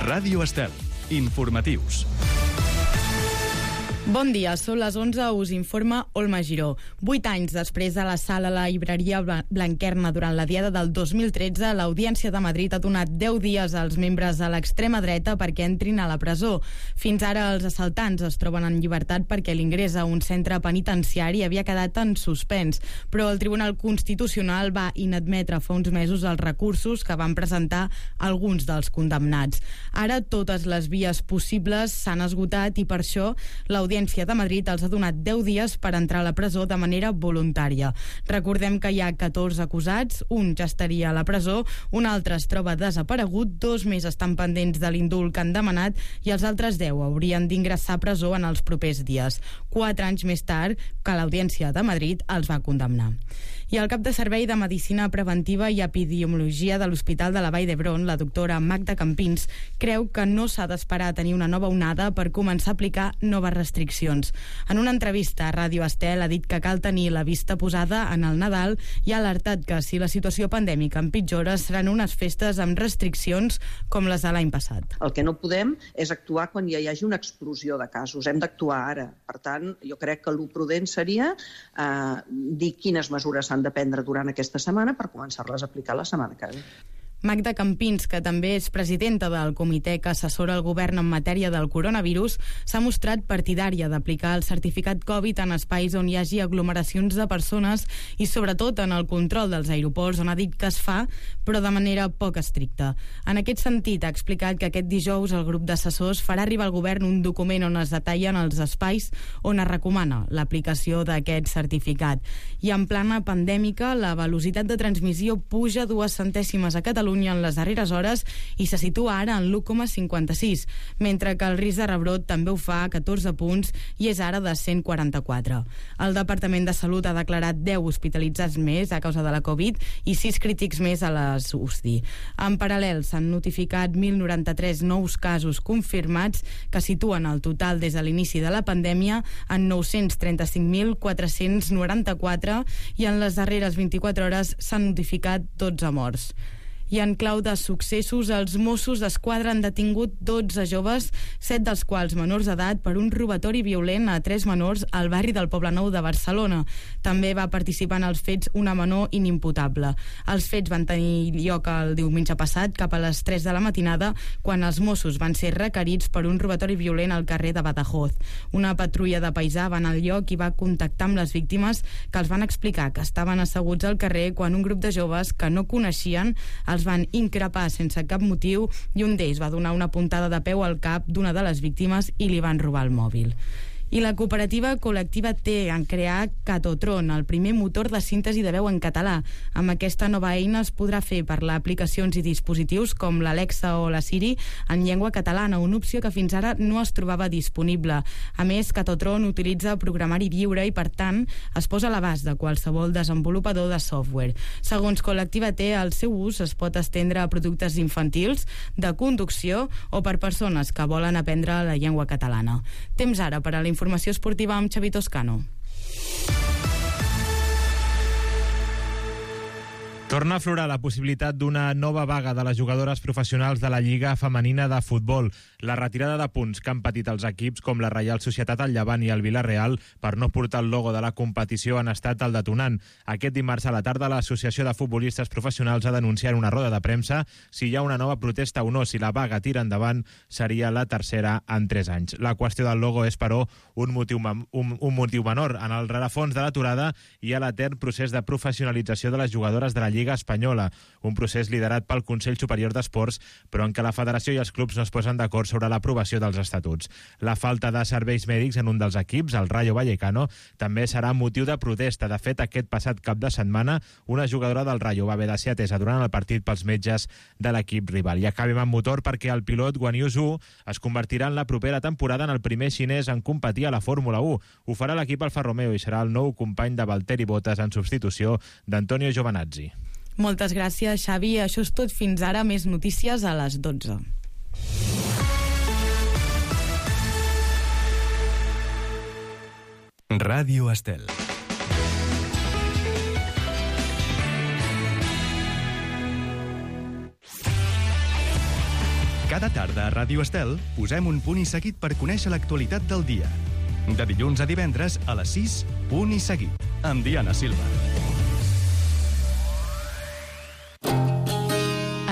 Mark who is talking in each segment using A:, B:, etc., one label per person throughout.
A: Ràdio Estel. Informatius.
B: Bon dia, són les 11, us informa Olma Giró. 8 anys després de l'assalt a la llibreria Blanquerna durant la diada del 2013, l'Audiència de Madrid ha donat 10 dies als membres de l'extrema dreta perquè entrin a la presó. Fins ara els assaltants es troben en llibertat perquè l'ingrés a un centre penitenciari havia quedat en suspens, però el Tribunal Constitucional va inadmetre fa uns mesos els recursos que van presentar alguns dels condemnats. Ara totes les vies possibles s'han esgotat i per això l'Audiència de Madrid els ha donat 10 dies per entrar a la presó de manera voluntària. Recordem que hi ha 14 acusats, un ja estaria a la presó, un altre es troba desaparegut, 2 més estan pendents de l'indult que han demanat i els altres 10 haurien d'ingressar a presó en els propers dies. 4 anys més tard que l'Audiència de Madrid els va condemnar. I el cap de servei de Medicina Preventiva i Epidemiologia de l'Hospital de la Vall d'Hebron, la doctora Magda Campins, creu que no s'ha d'esperar a tenir una nova onada per començar a aplicar noves restriccions. En una entrevista a Ràdio Estel ha dit que cal tenir la vista posada en el Nadal i ha alertat que si la situació pandèmica empitjora seran unes festes amb restriccions com les de l'any passat.
C: El que no podem és actuar quan ja hi hagi una explosió de casos. Hem d'actuar ara. Per tant, jo crec que el prudent seria dir quines mesures s'han de prendre durant aquesta setmana per començar-les a aplicar la setmana que ve.
B: Magda Campins, que també és presidenta del comitè que assessora el govern en matèria del coronavirus, s'ha mostrat partidària d'aplicar el certificat Covid en espais on hi hagi aglomeracions de persones i sobretot en el control dels aeroports, on ha dit que es fa, però de manera poc estricta. En aquest sentit, ha explicat que aquest dijous el grup d'assessors farà arribar al govern un document on es detallen els espais on es recomana l'aplicació d'aquest certificat. I en plana pandèmica, la velocitat de transmissió puja 2 centèsimes a Catalunya en les darreres hores i se situa ara en l'1,56, mentre que el risc de rebrot també ho fa a 14 punts i és ara de 144. El Departament de Salut ha declarat 10 hospitalitzats més a causa de la Covid i 6 crítics més a les UCI. En paral·lel, s'han notificat 1.093 nous casos confirmats que situen el total des de l'inici de la pandèmia en 935.494 i en les darreres 24 hores s'han notificat 12 morts. I en clau de successos, els Mossos d'Esquadra han detingut 12 joves, 7 dels quals menors d'edat, per un robatori violent a 3 menors al barri del Poblenou de Barcelona. També va participar en els fets una menor inimputable. Els fets van tenir lloc el diumenge passat, cap a les 3 de la matinada, quan els Mossos van ser requerits per un robatori violent al carrer de Badajoz. Una patrulla de paisà va anar al lloc i va contactar amb les víctimes, que els van explicar que estaven asseguts al carrer quan un grup de joves que no coneixien els van increpar sense cap motiu i un d'ells va donar una puntada de peu al cap d'una de les víctimes i li van robar el mòbil. I la cooperativa col·lectiva T han creat Catotron, el primer motor de síntesi de veu en català. Amb aquesta nova eina es podrà fer parlar aplicacions i dispositius com l'Alexa o la Siri en llengua catalana, una opció que fins ara no es trobava disponible. A més, Catotron utilitza programari lliure i, per tant, es posa a l'abast de qualsevol desenvolupador de software. Segons Col·lectiva T, el seu ús es pot estendre a productes infantils, de conducció o per persones que volen aprendre la llengua catalana. Temps ara per a la informació esportiva amb Xavi Toscano.
D: Torna a aflorar la possibilitat d'una nova vaga de les jugadores professionals de la Lliga Femenina de Futbol. La retirada de punts que han patit els equips com la Reial Societat, el Llevant i el Vila-real per no portar el logo de la competició han estat el detonant. Aquest dimarts a la tarda l'Associació de Futbolistes Professionals ha denunciat en una roda de premsa si hi ha una nova protesta o no. Si la vaga tira endavant seria la tercera en 3 anys. La qüestió del logo és, però, un motiu menor. En el rerefons de l'aturada hi ha l'etern procés de professionalització de les jugadores de la Lliga Espanyola, un procés liderat pel Consell Superior d'Esports, però en què la federació i els clubs no es posen d'acord sobre l'aprovació dels estatuts. La falta de serveis mèdics en un dels equips, el Rayo Vallecano, també serà motiu de protesta. De fet, aquest passat cap de setmana, una jugadora del Rayo va haver de ser atesa durant el partit pels metges de l'equip rival. I acabem amb motor perquè el pilot Guan Yu Zhou es convertirà en la propera temporada en el primer xinès en competir a la Fórmula 1. Ho farà l'equip Alfa Romeo i serà el nou company de Valtteri Bottas en substitució d'Antonio Giovinazzi.
B: Moltes gràcies, Xavi. Això és tot fins ara. Més notícies a les 12.
A: Ràdio Estel. Cada tarda a Ràdio Estel posem un punt i seguit per conèixer l'actualitat del dia. De dilluns a divendres a les 6, punt i seguit, amb Diana Silva.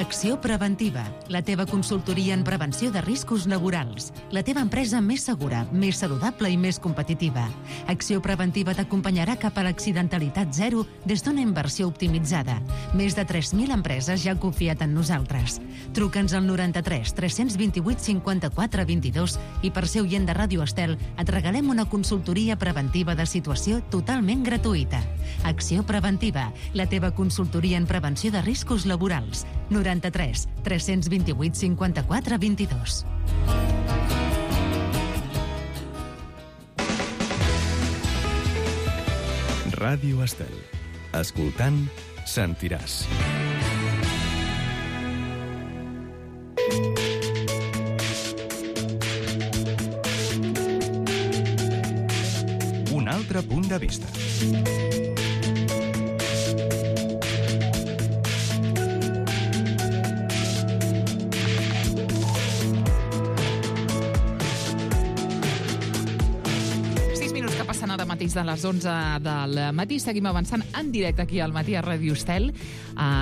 E: Acció Preventiva, la teva consultoria en prevenció de riscos laborals. La teva empresa més segura, més saludable i més competitiva. Acció Preventiva t'acompanyarà cap a l'accidentalitat zero des d'una inversió optimitzada. Més de 3.000 empreses ja han confiat en nosaltres. Truca'ns al 93 328 54 22 i per ser oient de Ràdio Estel et regalem una consultoria preventiva de situació totalment gratuïta. Acció Preventiva, la teva consultoria en prevenció de riscos laborals. 93 328 54 22.
A: Ràdio Estel. Escoltant, sentiràs. Un altre punt de vista.
F: Mateix de les 11 del matí. Seguim avançant en directe aquí al matí a Ràdio Estel.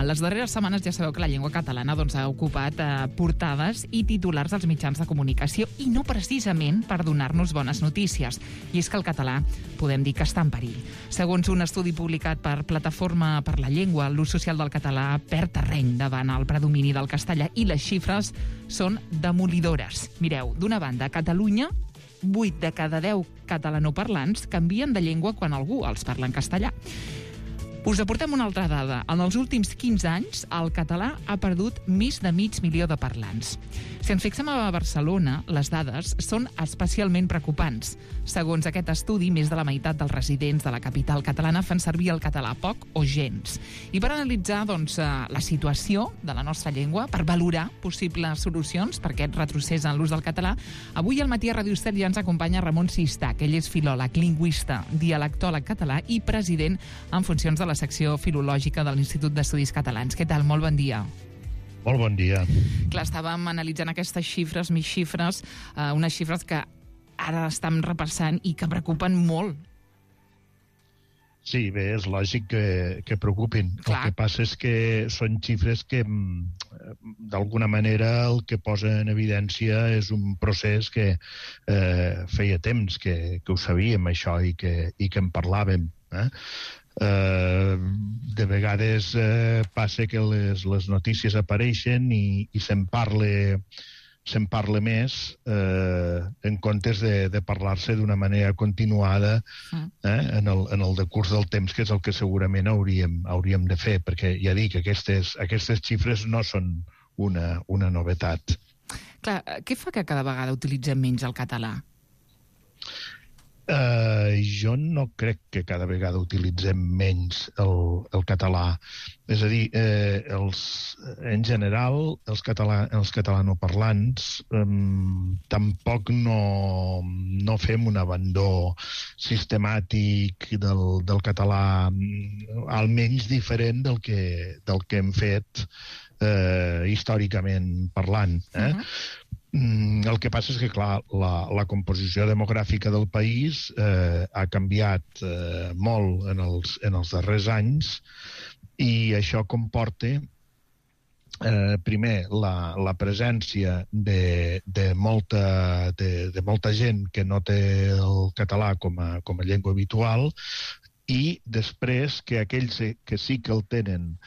F: Les darreres setmanes ja sabeu que la llengua catalana ha ocupat portades i titulars als mitjans de comunicació i no precisament per donar-nos bones notícies. I és que el català podem dir que està en perill. Segons un estudi publicat per Plataforma per la Llengua, l'ús social del català perd terreny davant el predomini del castellà i les xifres són demolidores. Mireu, d'una banda, a Catalunya 8 de cada 10 catalanoparlants canvien de llengua quan algú els parla en castellà. Us aportem una altra dada. En els últims 15 anys, el català ha perdut més de 500.000 de parlants. Si ens fixem a Barcelona, les dades són especialment preocupants. Segons aquest estudi, més de la meitat dels residents de la capital catalana fan servir el català poc o gens. I per analitzar la situació de la nostra llengua, per valorar possibles solucions per aquest retrocés en l'ús del català, avui al matí a Ràdio Estel ja ens acompanya Ramon Sistach. Ell és filòleg, lingüista, dialectòleg català i president en funcions de la secció filològica de l'Institut d'Estudis Catalans. Què tal? Molt bon dia.
G: Molt bon dia.
F: Clar, estàvem analitzant aquestes xifres, més xifres, unes xifres que ara estem repassant i que preocupen molt.
G: Sí, bé, és lògic que preocupin.
F: Clar.
G: El que passa és que són xifres que, d'alguna manera, el que posa en evidència és un procés que feia temps que ho sabíem, això, i que en parlàvem. De vegades passa que les notícies apareixen i se'n parla més en comptes de parlar-se d'una manera continuada en el decurs del temps, que és el que segurament hauríem de fer, perquè ja dic, aquestes xifres no són una novetat.
F: Clar, què fa que cada vegada utilitzem menys el català?
G: Jo no crec que cada vegada utilitzem menys el català. És a dir, en general, els catalanoparlants tampoc no fem un abandó sistemàtic del català, almenys diferent del que hem fet històricament parlant. El que passa és que, clar, la composició demogràfica del país ha canviat molt en els darrers anys i això comporta, primer, la presència de molta gent que no té el català com a llengua habitual i després que aquells que sí que el tenen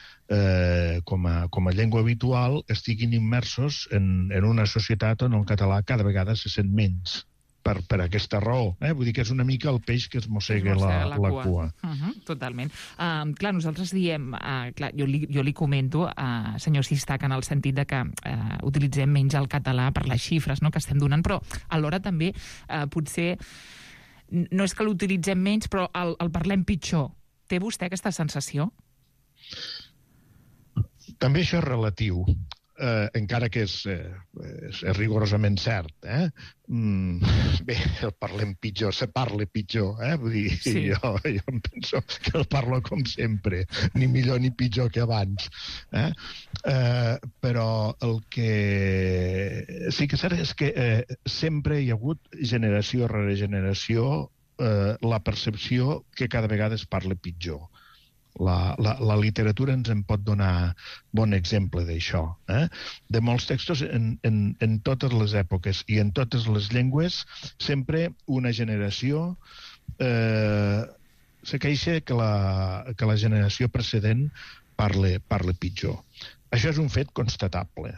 G: com a llengua habitual estiguin immersos en una societat on el català cada vegada se sent menys per aquesta raó. Vull dir que és una mica el peix que es mossega la cua.
F: Totalment. Clar, nosaltres diem, jo li comento, senyor Sistach, en el sentit de que utilitzem menys el català per les xifres que estem donant, però alhora també potser no és que l'utilitzem menys, però el parlem pitjor. Té vostè aquesta sensació?
G: També això és relatiu. encara que és rigorosament cert, bé, el parlem pitjor, se parla pitjor, vull dir, sí. jo em penso que el parlo com sempre, ni millor ni pitjor que abans, però el que sí que és cert és que sempre hi ha hagut generació rere generació la percepció que cada vegada es parla pitjor. La literatura ens en pot donar bon exemple d'això. De molts textos en totes les èpoques i en totes les llengües sempre una generació se queixa que la generació precedent parla pitjor. Això és un fet constatable.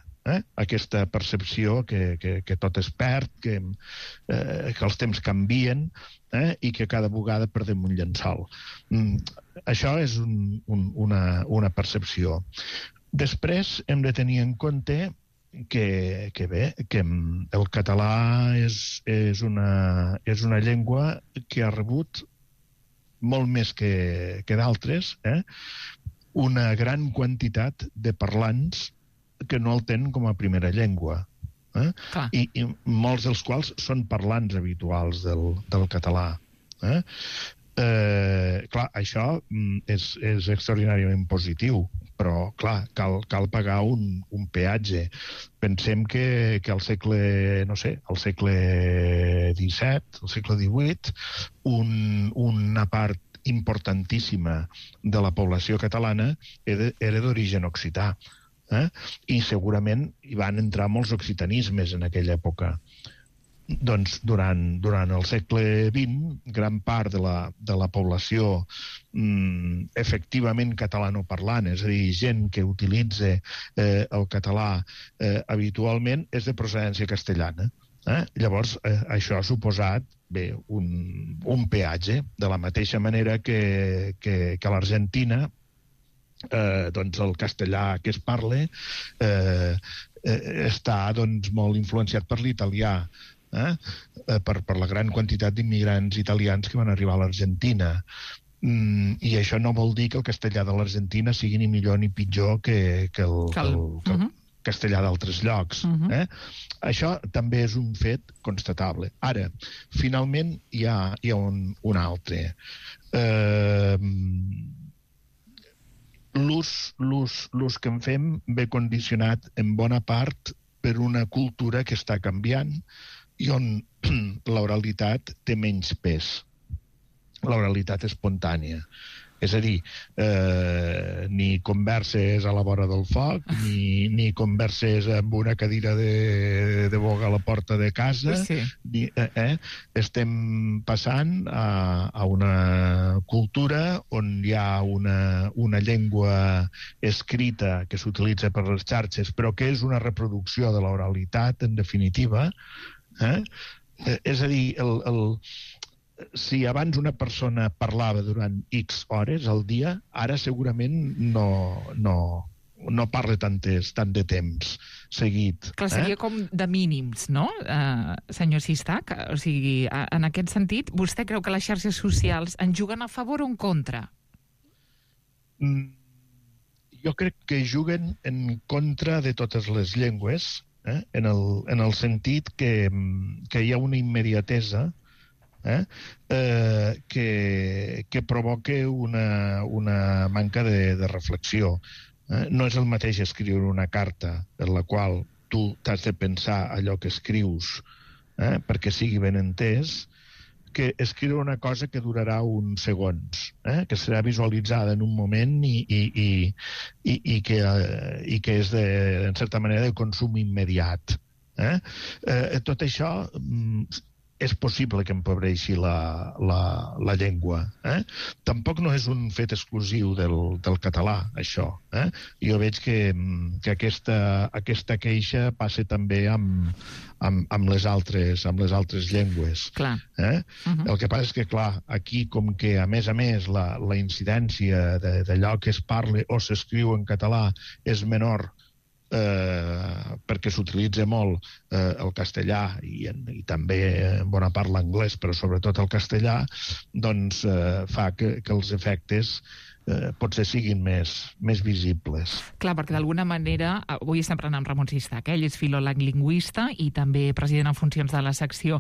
G: Aquesta percepció que tot es perd, que els temps canvien i que cada vegada perdem un llençol. Això és una percepció. Després hem de tenir en compte que el català és una llengua que ha rebut molt més que d'altres una gran quantitat de parlants que no el tenen com a primera llengua. I molts dels quals són parlants habituals del català. Clar, això és extraordinàriament positiu, però, clar, cal pagar un peatge. Pensem que al segle, no sé, al segle XVII, al segle XVIII, una part importantíssima de la població catalana era d'origen occità. I segurament hi van entrar molts occitanismes en aquella època. Doncs durant el segle XX, gran part de la població efectivament catalanoparlant, és a dir, gent que utilitza el català habitualment, és de procedència castellana. Llavors, això ha suposat un peatge, de la mateixa manera que a l'Argentina doncs el castellà que es parla està molt influenciat per l'italià, per la gran quantitat d'immigrants italians que van arribar a l'Argentina. I això no vol dir que el castellà de l'Argentina sigui ni millor ni pitjor que el castellà d'altres llocs. Això també és un fet constatable. Ara, finalment, hi ha un altre. L'ús que en fem ve condicionat en bona part per una cultura que està canviant i on l'oralitat té menys pes, l'oralitat espontània. És a dir, ni converses a la vora del foc, ni converses amb una cadira de boga a la porta de casa. Sí. Estem passant a una cultura on hi ha una llengua escrita que s'utilitza per les xarxes, però que és una reproducció de l'oralitat, en definitiva. És a dir, si abans una persona parlava durant X hores al dia, ara segurament no parla tant de temps seguit.
F: Clar, seria com de mínims, no, senyor Sistac? O sigui, en aquest sentit, vostè creu que les xarxes socials en juguen a favor o en contra?
G: Jo crec que juguen en contra de totes les llengües, en el sentit que hi ha una immediatesa que provoca una manca de reflexió. No és el mateix escriure una carta en la qual tu t'has de pensar allò que escrius perquè sigui ben entès, que escriure una cosa que durarà uns segons, que serà visualitzada en un moment i que és, en certa manera, de consum immediat. Tot això és possible que empobreixi la llengua. Tampoc no és un fet exclusiu del català, això. Jo veig que aquesta queixa passa també amb les altres llengües.
F: Clar.
G: El que passa és que, clar, aquí, com que, a més, la incidència d'allò que es parla o s'escriu en català és menor, perquè s'utilitza molt el castellà i també en bona part l'anglès, però sobretot el castellà, doncs fa que els efectes potser siguin més visibles.
F: Clar, perquè d'alguna manera, avui estem parlant amb Ramon Sistac, ell és filòleg lingüista i també president en funcions de la secció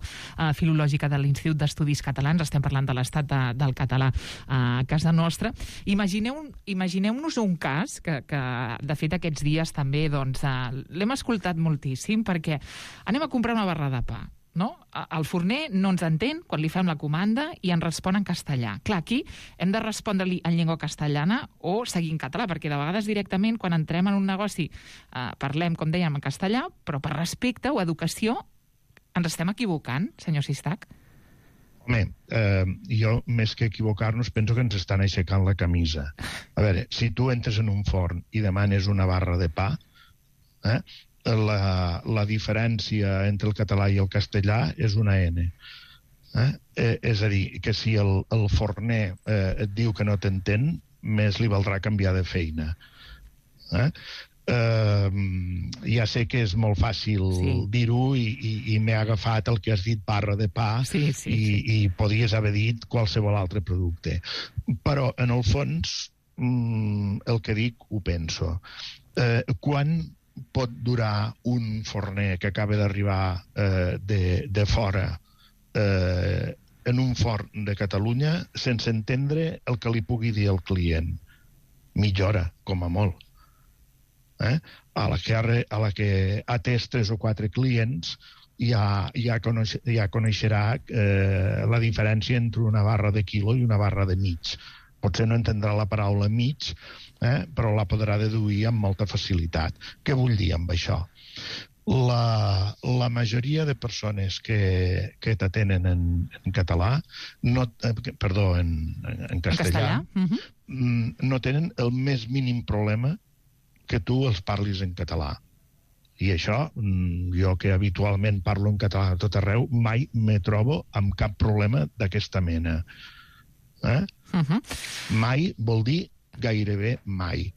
F: filològica de l'Institut d'Estudis Catalans. Estem parlant de l'estat del català a casa nostra. Imagineu-nos un cas que de fet aquests dies també l'hem escoltat moltíssim, perquè anem a comprar una barra de pa, no? El forner no ens entén quan li fem la comanda i ens respon en castellà. Clar, aquí hem de respondre-li en llengua castellana o seguir en català, perquè de vegades directament quan entrem en un negoci parlem, com dèiem, en castellà, però per respecte o educació ens estem equivocant, senyor Sistac?
G: Home, jo, més que equivocar-nos, penso que ens estan aixecant la camisa. A veure, si tu entres en un forn i demanes una barra de pa, la diferència entre el català i el castellà és una N. És a dir, que si el forner et diu que no t'entén, més li valdrà canviar de feina. Ja sé que és molt fàcil dir-ho i m'he agafat el que has dit, barra de pa, i podies haver dit qualsevol altre producte. Però, en el fons, el que dic ho penso. Quan pot durar un forner que acaba d'arribar de fora en un forn de Catalunya sense entendre el que li pugui dir el client? Mitja hora, com a molt. A la que ha atès 3 o 4 clients ja coneixerà la diferència entre una barra de quilo i una barra de mig. Potser no entendrà la paraula mig, però la podrà deduir amb molta facilitat. Què vull dir amb això? La majoria de persones que t'atenen en català, en castellà, no tenen el més mínim problema que tu els parlis en català. I això, jo que habitualment parlo en català a tot arreu, mai me trobo amb cap problema d'aquesta mena. Mai vol dir gairebé mai.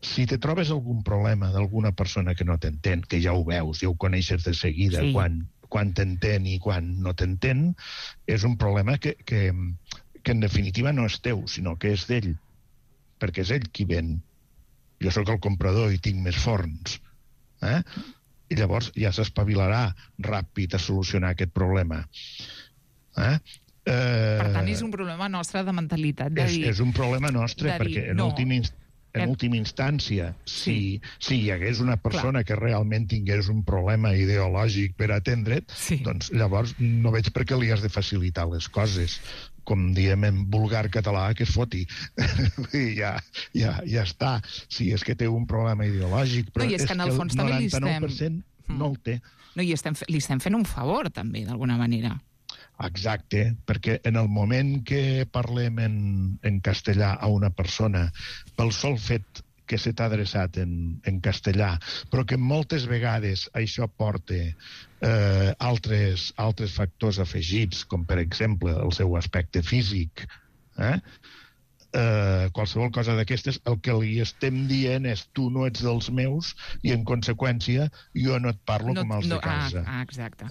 G: Si te trobes algun problema d'alguna persona que no t'entén, que ja ho veus, ja ho coneixes de seguida, quan t'entén i quan no t'entén, és un problema que en definitiva no és teu, sinó que és d'ell, perquè és ell qui ven. Jo sóc el comprador i tinc més forns. I llavors ja s'espavilarà ràpid a solucionar aquest problema.
F: Per tant, és un problema nostre de mentalitat.
G: És un problema nostre, perquè en última instància, si hi hagués una persona que realment tingués un problema ideològic per atendre't, doncs llavors no veig per què li has de facilitar les coses. Com diem en vulgar català, que es foti. Ja està. Si és que té un problema ideològic, però és que el 99% no el té.
F: I li estem fent un favor, també, d'alguna manera.
G: Exacte, perquè en el moment que parlem en castellà a una persona, pel sol fet que se t'ha adreçat en castellà, però que moltes vegades això porta altres factors afegits, com per exemple el seu aspecte físic, qualsevol cosa d'aquestes, el que li estem dient és tu no ets dels meus i en conseqüència jo no et parlo com els de casa.
F: Exacte.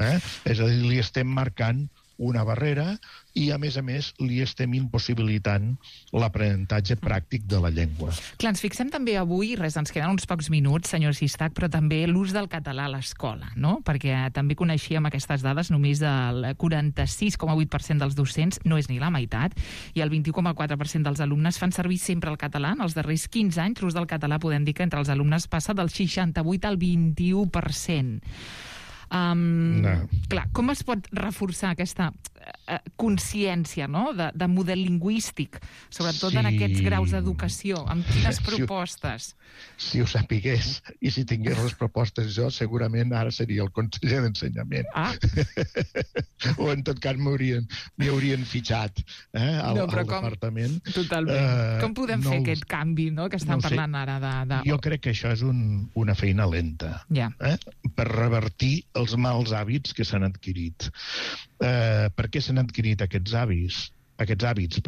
G: És a dir, li estem marcant una barrera i, a més, li estem impossibilitant l'aprenentatge pràctic de la llengua.
F: Clar, ens fixem també avui, ens queden uns pocs minuts, senyor Sistac, però també l'ús del català a l'escola, no? Perquè també coneixíem aquestes dades, només el 46,8% dels docents, no és ni la meitat, i el 21,4% dels alumnes fan servir sempre el català. En els darrers 15 anys, l'ús del català podem dir que entre els alumnes passa del 68 al 21%. Clar, com es pot reforçar aquesta consciència, no?, de model lingüístic, sobretot en aquests graus d'educació? Amb quines propostes?
G: Si ho sapigués i si tingués les propostes jo, segurament ara seria el conseller d'ensenyament. O en tot cas m'hi haurien fitxat al departament.
F: Totalment. Com podem fer aquest canvi, no?, que estan parlant ara de...
G: Jo crec que això és una feina lenta per revertir els mals hàbits que s'han adquirit. Per què s'han adquirit aquests hàbits?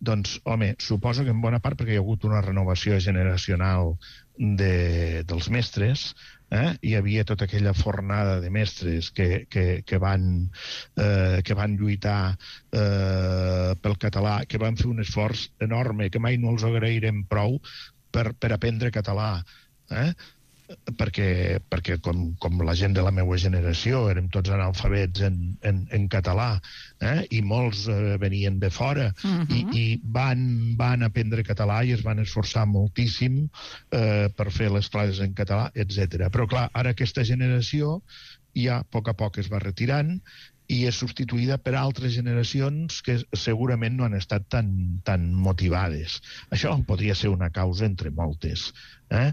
G: Doncs, home, suposo que en bona part perquè hi ha hagut una renovació generacional dels mestres, hi havia tota aquella fornada de mestres que van lluitar pel català, que van fer un esforç enorme, que mai no els agrairem prou per aprendre català, perquè com la gent de la meva generació érem tots analfabets en català, i molts venien de fora, i van aprendre català i es van esforçar moltíssim per fer les classes en català, etc. Però clar, ara aquesta generació ja a poc es va retirant i és substituïda per altres generacions que segurament no han estat tan motivades. Això podria ser una causa entre moltes. La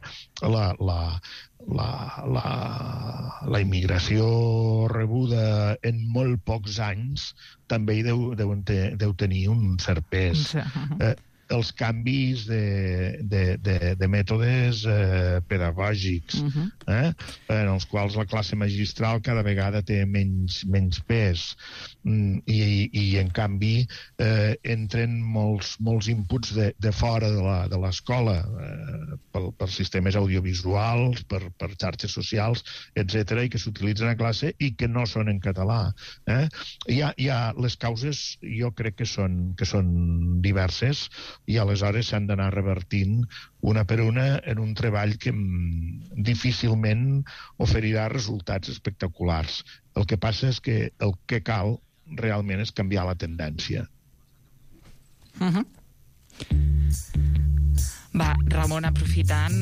G: immigració rebuda en molt pocs anys també hi deu tenir un cert pes. Els canvis de mètodes pedagògics, en els quals la classe magistral cada vegada té menys pes, i en canvi entren molts inputs de fora de l'escola, per sistemes audiovisuals, per xarxes socials, etc., i que s'utilitzen a classe i que no són en català. Les causes jo crec que són diverses, i aleshores s'han d'anar revertint una per una en un treball que difícilment oferirà resultats espectaculars. El que passa és que el que cal realment és canviar la tendència.
F: Va, Ramon, aprofitant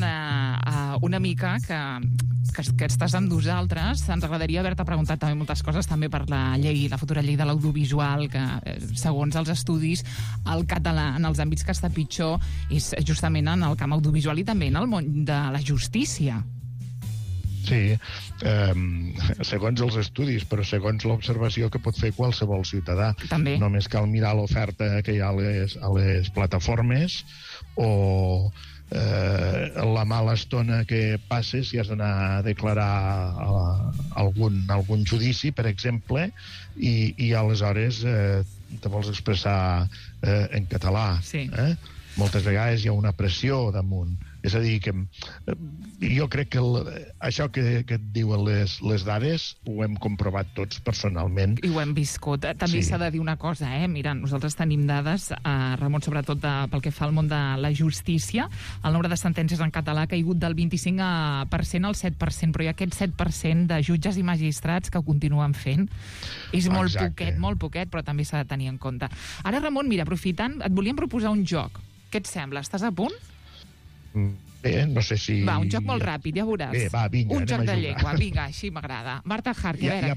F: una mica que estàs amb nosaltres, ens agradaria haver-te preguntat també moltes coses, també per la futura llei de l'audiovisual, que segons els estudis el català en els àmbits que està pitjor és justament en el camp audiovisual i també en el món de la justícia.
G: Sí, segons els estudis, però segons l'observació que pot fer qualsevol ciutadà.
F: També.
G: Només cal mirar l'oferta que hi ha a les plataformes o la mala estona que passes si has d'anar a declarar algun judici, per exemple, i aleshores te vols expressar en català.
F: Sí.
G: Moltes vegades hi ha una pressió damunt. És a dir, que jo crec que això que et diuen les dades ho hem comprovat tots personalment.
F: I ho hem viscut. També s'ha de dir una cosa, Mira, nosaltres tenim dades, Ramon, sobretot pel que fa al món de la justícia. El nombre de sentències en català ha caigut del 25% al 7%, però hi ha aquest 7% de jutges i magistrats que ho continuen fent. És molt poquet, però també s'ha de tenir en compte. Ara, Ramon, mira, aprofitant, et volíem proposar un joc. Què et sembla? Estàs a punt?
G: Bé, no sé si...
F: Va, un joc molt ràpid, ja veuràs.
G: Bé, va, vinga,
F: un joc de llengua, vinga, així m'agrada. Marta Hark, a veure...
G: Hi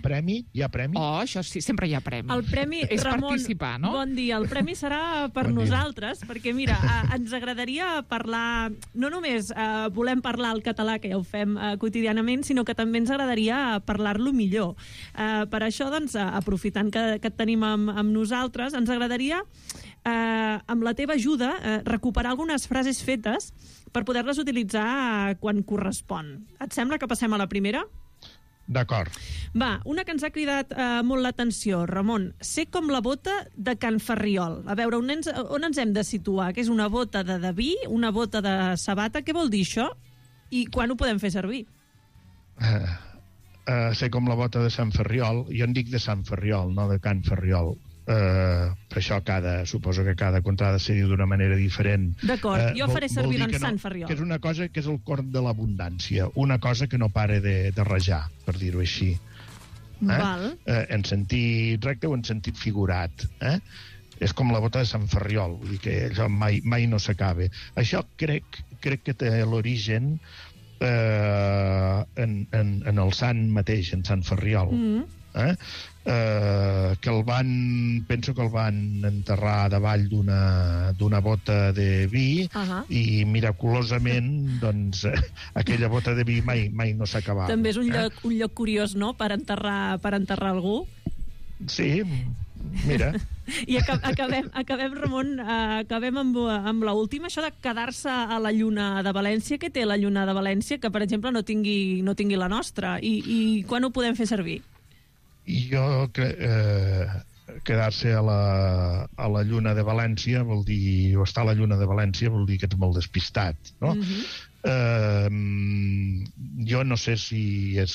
G: ha premi?
F: Oh, això sí, sempre hi ha premi.
H: El premi,
F: és
H: Ramon,
F: participar, no?
H: Bon dia. El premi serà per nosaltres, perquè, mira, ens agradaria parlar... No només volem parlar el català, que ja ho fem quotidianament, sinó que també ens agradaria parlar-lo millor. Per això, doncs, aprofitant que et tenim amb nosaltres, ens agradaria, amb la teva ajuda, recuperar algunes frases fetes per poder-les utilitzar quan correspon. Et sembla que passem a la primera?
G: D'acord.
H: Va, una que ens ha cridat molt l'atenció, Ramon. Sé com la bota de Can Ferriol. A veure, on ens hem de situar? Que és una bota de vi, una bota de sabata? Què vol dir això? I quan ho podem fer servir?
G: Sé com la bota de Sant Ferriol. Jo en dic de Sant Ferriol, no de Can Ferriol. Per això suposo que cada contada se diu d'una manera diferent.
H: D'acord, jo faré servir Sant Ferriol.
G: Que és una cosa que és el corn de l'abundància, una cosa que no para de rajar, per dir-ho així.
H: Val.
G: En sentit recte o en sentit figurat. És com la bota de Sant Ferriol, vull dir que això mai no s'acaba. Això crec que té l'origen en el sant mateix, en Sant Ferriol. Que penso que el van enterrar davall d'una bota de vi i miraculosament doncs aquella bota de vi mai no s'acabava.
H: També és un lloc curiós, no?, per enterrar algú.
G: Sí, mira.
H: I acabem, Ramon, amb l'última, això de quedar-se a la lluna de València. Què té la lluna de València que, per exemple, no tingui la nostra? I quan ho podem fer servir?
G: Jo crec... quedar-se a la Lluna de València vol dir, o estar a la Lluna de València vol dir que ets molt despistat, no? Jo no sé si és...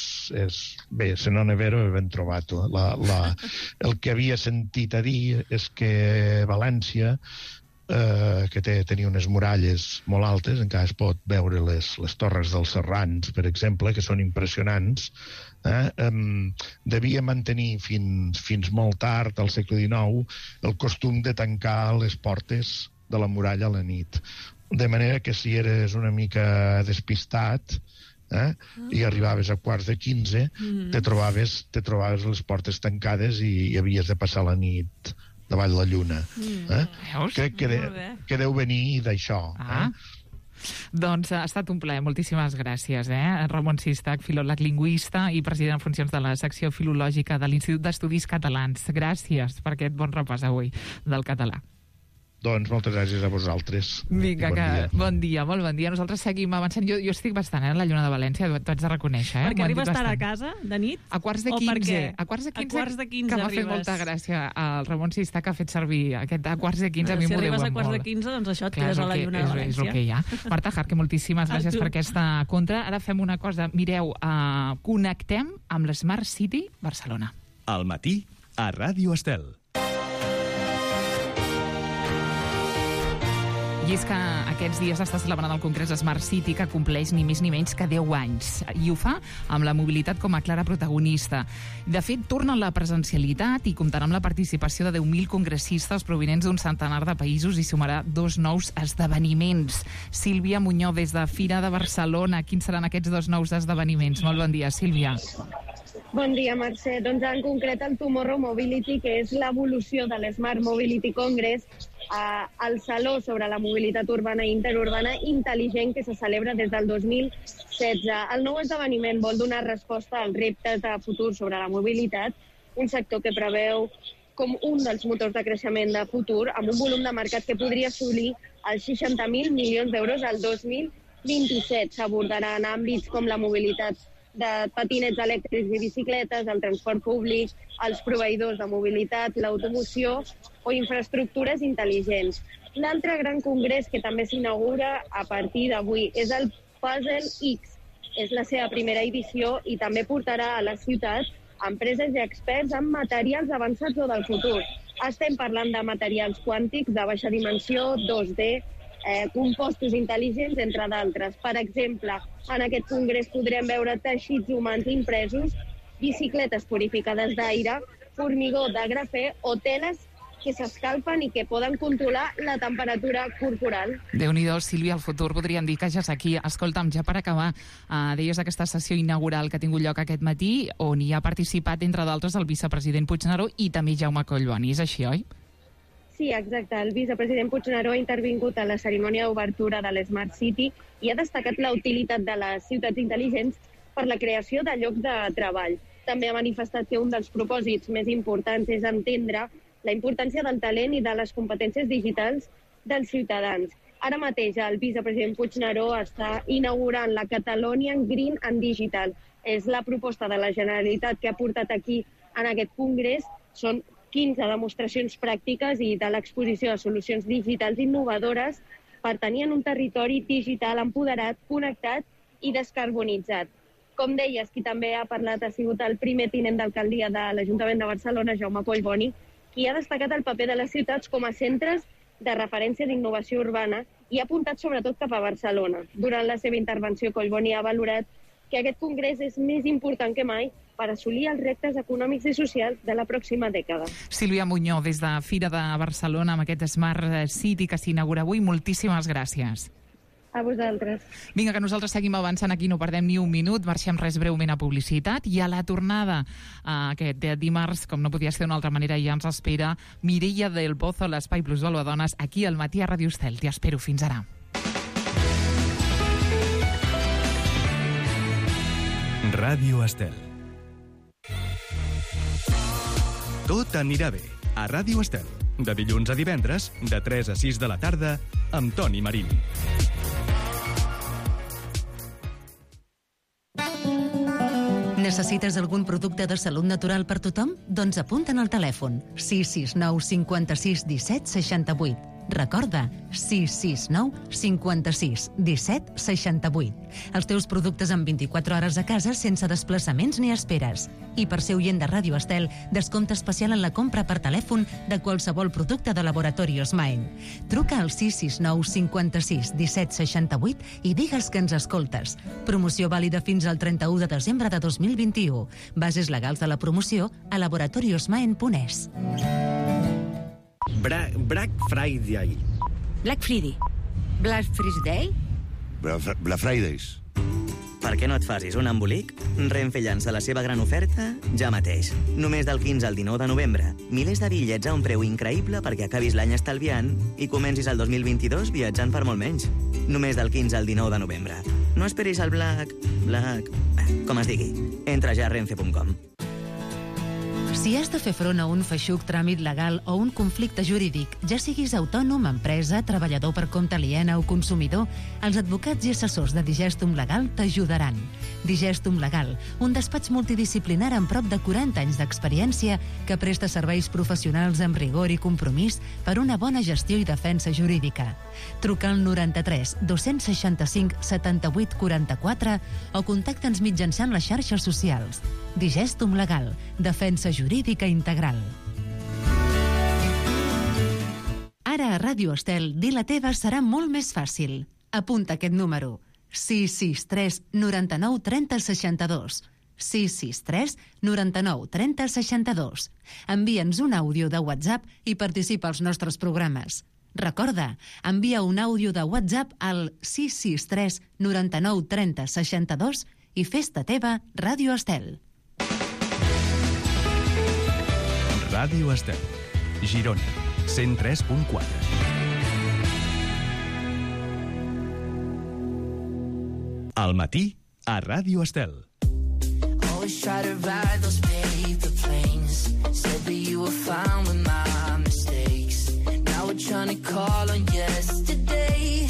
G: Bé, se non è vero, ben trovato. El que havia sentit a dir és que València, que tenia unes muralles molt altes, encara es pot veure les torres dels Serrans, per exemple, que són impressionants, devia mantenir fins molt tard, al segle XIX, el costum de tancar les portes de la muralla a la nit. De manera que si eres una mica despistat i arribaves a 15:15, te trobaves les portes tancades i havies de passar la nit davall la lluna. Crec que deu venir d'això.
F: Doncs ha estat un plaer, moltíssimes gràcies. Ramon Sistach, filòleg lingüista i president en funcions de la secció filològica de l'Institut d'Estudis Catalans. Gràcies per aquest bon repàs avui del català.
G: Doncs moltes gràcies a vosaltres.
F: Vinga, bon dia, molt bon dia. Nosaltres seguim avançant. Jo estic bastant a la Lluna de València, t'ho haig de reconèixer.
H: Perquè arribes tard a casa, de nit?
F: A quarts de 15. A quarts de 15 que m'ha fet molta gràcia el Ramon Sistach, que ha fet servir aquest a quarts de 15. A mi m'ho deuen molt.
H: Si arribes a quarts de 15, doncs això et quedes a la Lluna de València.
F: És el que hi ha. Marta Jarque, moltíssimes gràcies per aquesta contra. Ara fem una cosa. Mireu, connectem amb l'Smart City Barcelona.
A: Al matí, a Ràdio Estel.
F: I és que aquests dies està celebrant el Congrés Smart City, que compleix ni més ni menys que 10 anys. I ho fa amb la mobilitat com a clara protagonista. De fet, torna la presencialitat i comptarà amb la participació de 10.000 congressistes provinents d'un centenar de països i sumarà 2 nous esdeveniments. Sílvia Muñoz, des de Fira de Barcelona. Quins seran aquests 2 nous esdeveniments? Molt bon dia, Sílvia.
I: Bon dia, Mercè. Doncs en concret el Tomorrow Mobility, que és l'evolució de l'Smart Mobility Congress, el saló sobre la mobilitat urbana i interurbana intel·ligent que se celebra des del 2016. El nou esdeveniment vol donar resposta als reptes de futur sobre la mobilitat, un sector que preveu com un dels motors de creixement de futur, amb un volum de mercat que podria assolir els 60.000 milions d'euros al 2027. S'abordaran àmbits com la mobilitat de patinets elèctrics i bicicletes, el transport públic, els proveïdors de mobilitat, l'automoció o infraestructures intel·ligents. L'altre gran congrés que també s'inaugura a partir d'avui és el Puzzle X. És la seva primera edició i també portarà a la ciutat empreses i experts en materials avançats o del futur. Estem parlant de materials quàntics de baixa dimensió, 2D, compostos intel·ligents, entre d'altres. Per exemple, en aquest congrés podrem veure teixits humans impresos, bicicletes purificades d'aire, formigó de grafè o teles que s'escalfen i que poden controlar la temperatura corporal.
F: Déu-n'hi-do, Sílvia, el futur podríem dir que ja és aquí. Escolta'm, ja per acabar, deies aquesta sessió inaugural que ha tingut lloc aquest matí, on hi ha participat, entre d'altres, el vicepresident Puigneró i també Jaume Collboni. És així, oi?
I: Sí, exacte. El vicepresident Puigneró ha intervingut a la cerimònia d'obertura de l'Smart City i ha destacat la utilitat de les ciutats intel·ligents per la creació de llocs de treball. També ha manifestat que un dels propòsits més importants és entendre la importància del talent i de les competències digitals dels ciutadans. Ara mateix el vicepresident Puigneró està inaugurant la Catalonian Green and Digital. És la proposta de la Generalitat que ha portat aquí en aquest congrés. Són 15 demostracions pràctiques i de l'exposició de solucions digitals innovadores per tenir en un territori digital empoderat, connectat i descarbonitzat. Com deies, qui també ha parlat ha sigut el primer tinent d'alcaldia de l'Ajuntament de Barcelona, Jaume Collboni, qui ha destacat el paper de les ciutats com a centres de referència d'innovació urbana i ha apuntat sobretot cap a Barcelona. Durant la seva intervenció, Collboni ha valorat que aquest congrés és més important que mai per assolir els reptes econòmics i socials de la pròxima dècada.
F: Sílvia Muñoz, des de Fira de Barcelona, amb aquest Smart City que s'inaugura avui, moltíssimes gràcies.
I: A vosaltres.
F: Vinga, que nosaltres seguim avançant aquí, no perdem ni un minut, marxem res breument a publicitat i a la tornada aquest dimarts, com no podia ser d'una altra manera, ja ens espera Mireia del Pozo, l'Espai Plus Dones, aquí al matí a Ràdio Estel. T'hi espero, fins ara.
A: Ràdio Estel. Tot anirà bé a Ràdio Estel. De dilluns a divendres, de 3 a 6 de la tarda, amb Toni Marín.
E: Necessites algun producte de salut natural per tothom? Doncs apunta'n al telèfon 669 56 17 68. Recorda, 669 56 17 68. Els teus productes en 24 hores a casa sense desplaçaments ni esperes. I per ser oient de Ràdio Estel, descompte especial en la compra per telèfon de qualsevol producte de Laboratorios Maen. Truca al 669 56 17 68 i digues que ens escoltes. Promoció vàlida fins al 31 de desembre de 2021. Bases legals de la promoció a laboratoriosmaen.es.
J: Black Friday.
K: Black Friday.
L: Black Friday?
J: Black Fridays.
K: Per què no et facis un embolic? Renfe llança la seva gran oferta ja mateix. Només del 15 al 19 de novembre. Milers de bitllets a un preu increïble perquè acabis l'any estalviant i comencis el 2022 viatjant per molt menys. Només del 15 al 19 de novembre. No esperis el Black... com es digui. Entra ja a renfe.com.
E: Si has de fer front a un feixuc tràmit legal o un conflicte jurídic, ja siguis autònom, empresa, treballador per compte aliena o consumidor, els advocats i assessors de Digestum Legal t'ajudaran. Digestum Legal, un despatx multidisciplinar amb prop de 40 anys d'experiència que presta serveis professionals amb rigor i compromís per una bona gestió i defensa jurídica. Truca al 93 265 78 44 o contacta'ns mitjançant les xarxes socials. Digestum Legal, defensa jurídica integral. Ara a Ràdio Estel, dir la teva serà molt més fàcil. Apunta aquest número: 663 99 30 62. 663 99 30 62. Envia'ns un àudio de WhatsApp i participa als nostres programes. Recorda, envia un àudio de WhatsApp al 663 99 30 62 i fes-te teva Ràdio Estel.
A: Ràdio Estel, Girona, 103.4. Al matí, a Ràdio Estel.
M: Always try to ride those paper planes. Said that you were fine with my mistakes. Now we're trying to call on yesterday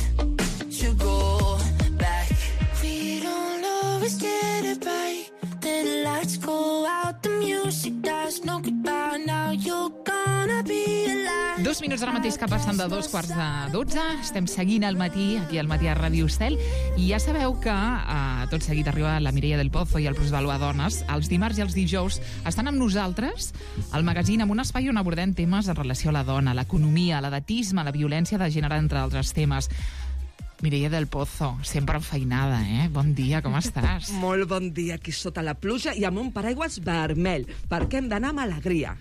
M: to go back. We don't always get it right. Then the lights go out, the music dies, no goodbye. Now you're gonna be alive.
F: 2 minuts ara mateix que passen de 2:45. Estem seguint al matí, aquí al matí a Ràdio Estel, i ja sabeu que tot seguit arriba la Mireia del Pozo i el Plusvalua Dones. Els dimarts i els dijous estan amb nosaltres al magazín amb un espai on abordem temes en relació a la dona, l'economia, l'edatisme, la violència de gènere, entre altres temes. Mireia del Pozo, sempre enfeinada, eh? Bon dia, com estàs?
N: Molt bon dia, aquí sota la pluja i amb un paraigües vermell, perquè hem d'anar amb alegria.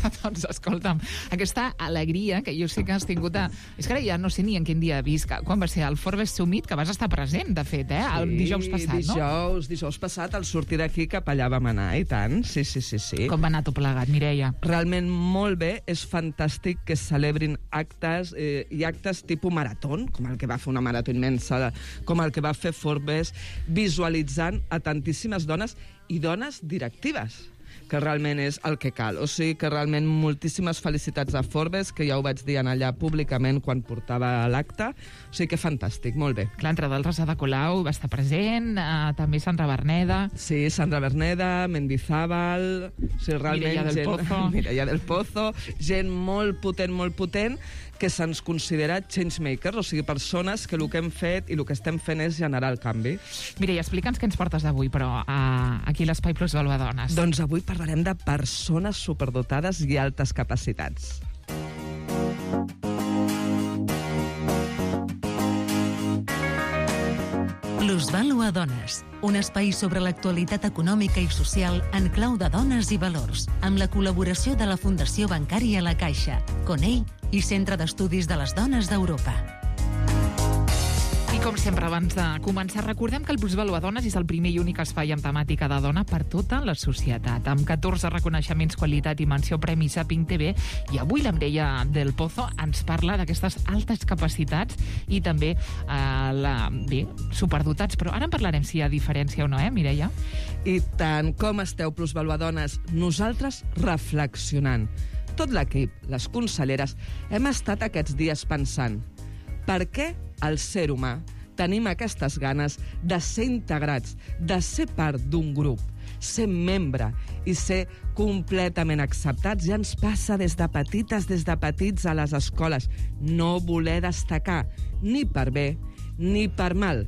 F: Doncs escolta'm, aquesta alegria que jo sé que has tingut És que ara ja no sé ni en quin dia visc. Quan va ser el Forbes Summit, que vas estar present, de fet, el dijous passat, no?
N: Dijous passat, al sortir d'aquí cap allà vam anar, i tant, sí.
F: Com va anar tot plegat, Mireia?
N: Realment molt bé, és fantàstic que es celebrin actes i actes tipus marató, com el que va fer una marató immensa, com el que va fer Forbes, visualitzant a tantíssimes dones i dones directives, que realment és el que cal. O sigui que realment moltíssimes felicitats a Forbes, que ja ho vaig dir allà públicament quan portava l'acte. O sigui que fantàstic, molt bé.
F: Clar, entre d'altres, Ada Colau va estar present, també Sandra Berneda.
N: Sí, Sandra Berneda, Mendizábal, o sigui, realment Mireia del Pozo, gent molt potent, que se'ns considera changemakers, o sigui, persones que el que hem fet i el que estem fent és generar el canvi.
F: Mireia, explica'ns què ens portes avui, però aquí a l'Espai Plusvalua Dones.
N: Doncs avui parlarem de persones superdotades i altes capacitats.
E: Plusvalua Dones, un espai sobre l'actualitat econòmica i social en clau de dones i valors, amb la col·laboració de la Fundació Bancària La Caixa, Conell i Centre d'Estudis de les Dones d'Europa.
F: I com sempre, abans de començar, recordem que el Plusvalua Dones és el primer i únic espai amb temàtica de dona per tota la societat, amb 14 reconeixements, qualitat i menció Premi Saping TV, i avui la Mireia del Pozo ens parla d'aquestes altes capacitats i també superdotats, però ara en parlarem si hi ha diferència o no, Mireia?
N: I tant, com esteu, Plusvalua Dones? Nosaltres reflexionant. Tot l'equip, les conselleres, hem estat aquests dies pensant per què el ser humà tenim aquestes ganes de ser integrats, de ser part d'un grup, ser membre i ser completament acceptats. Ja ens passa des de petits a les escoles. No voler destacar, ni per bé ni per mal.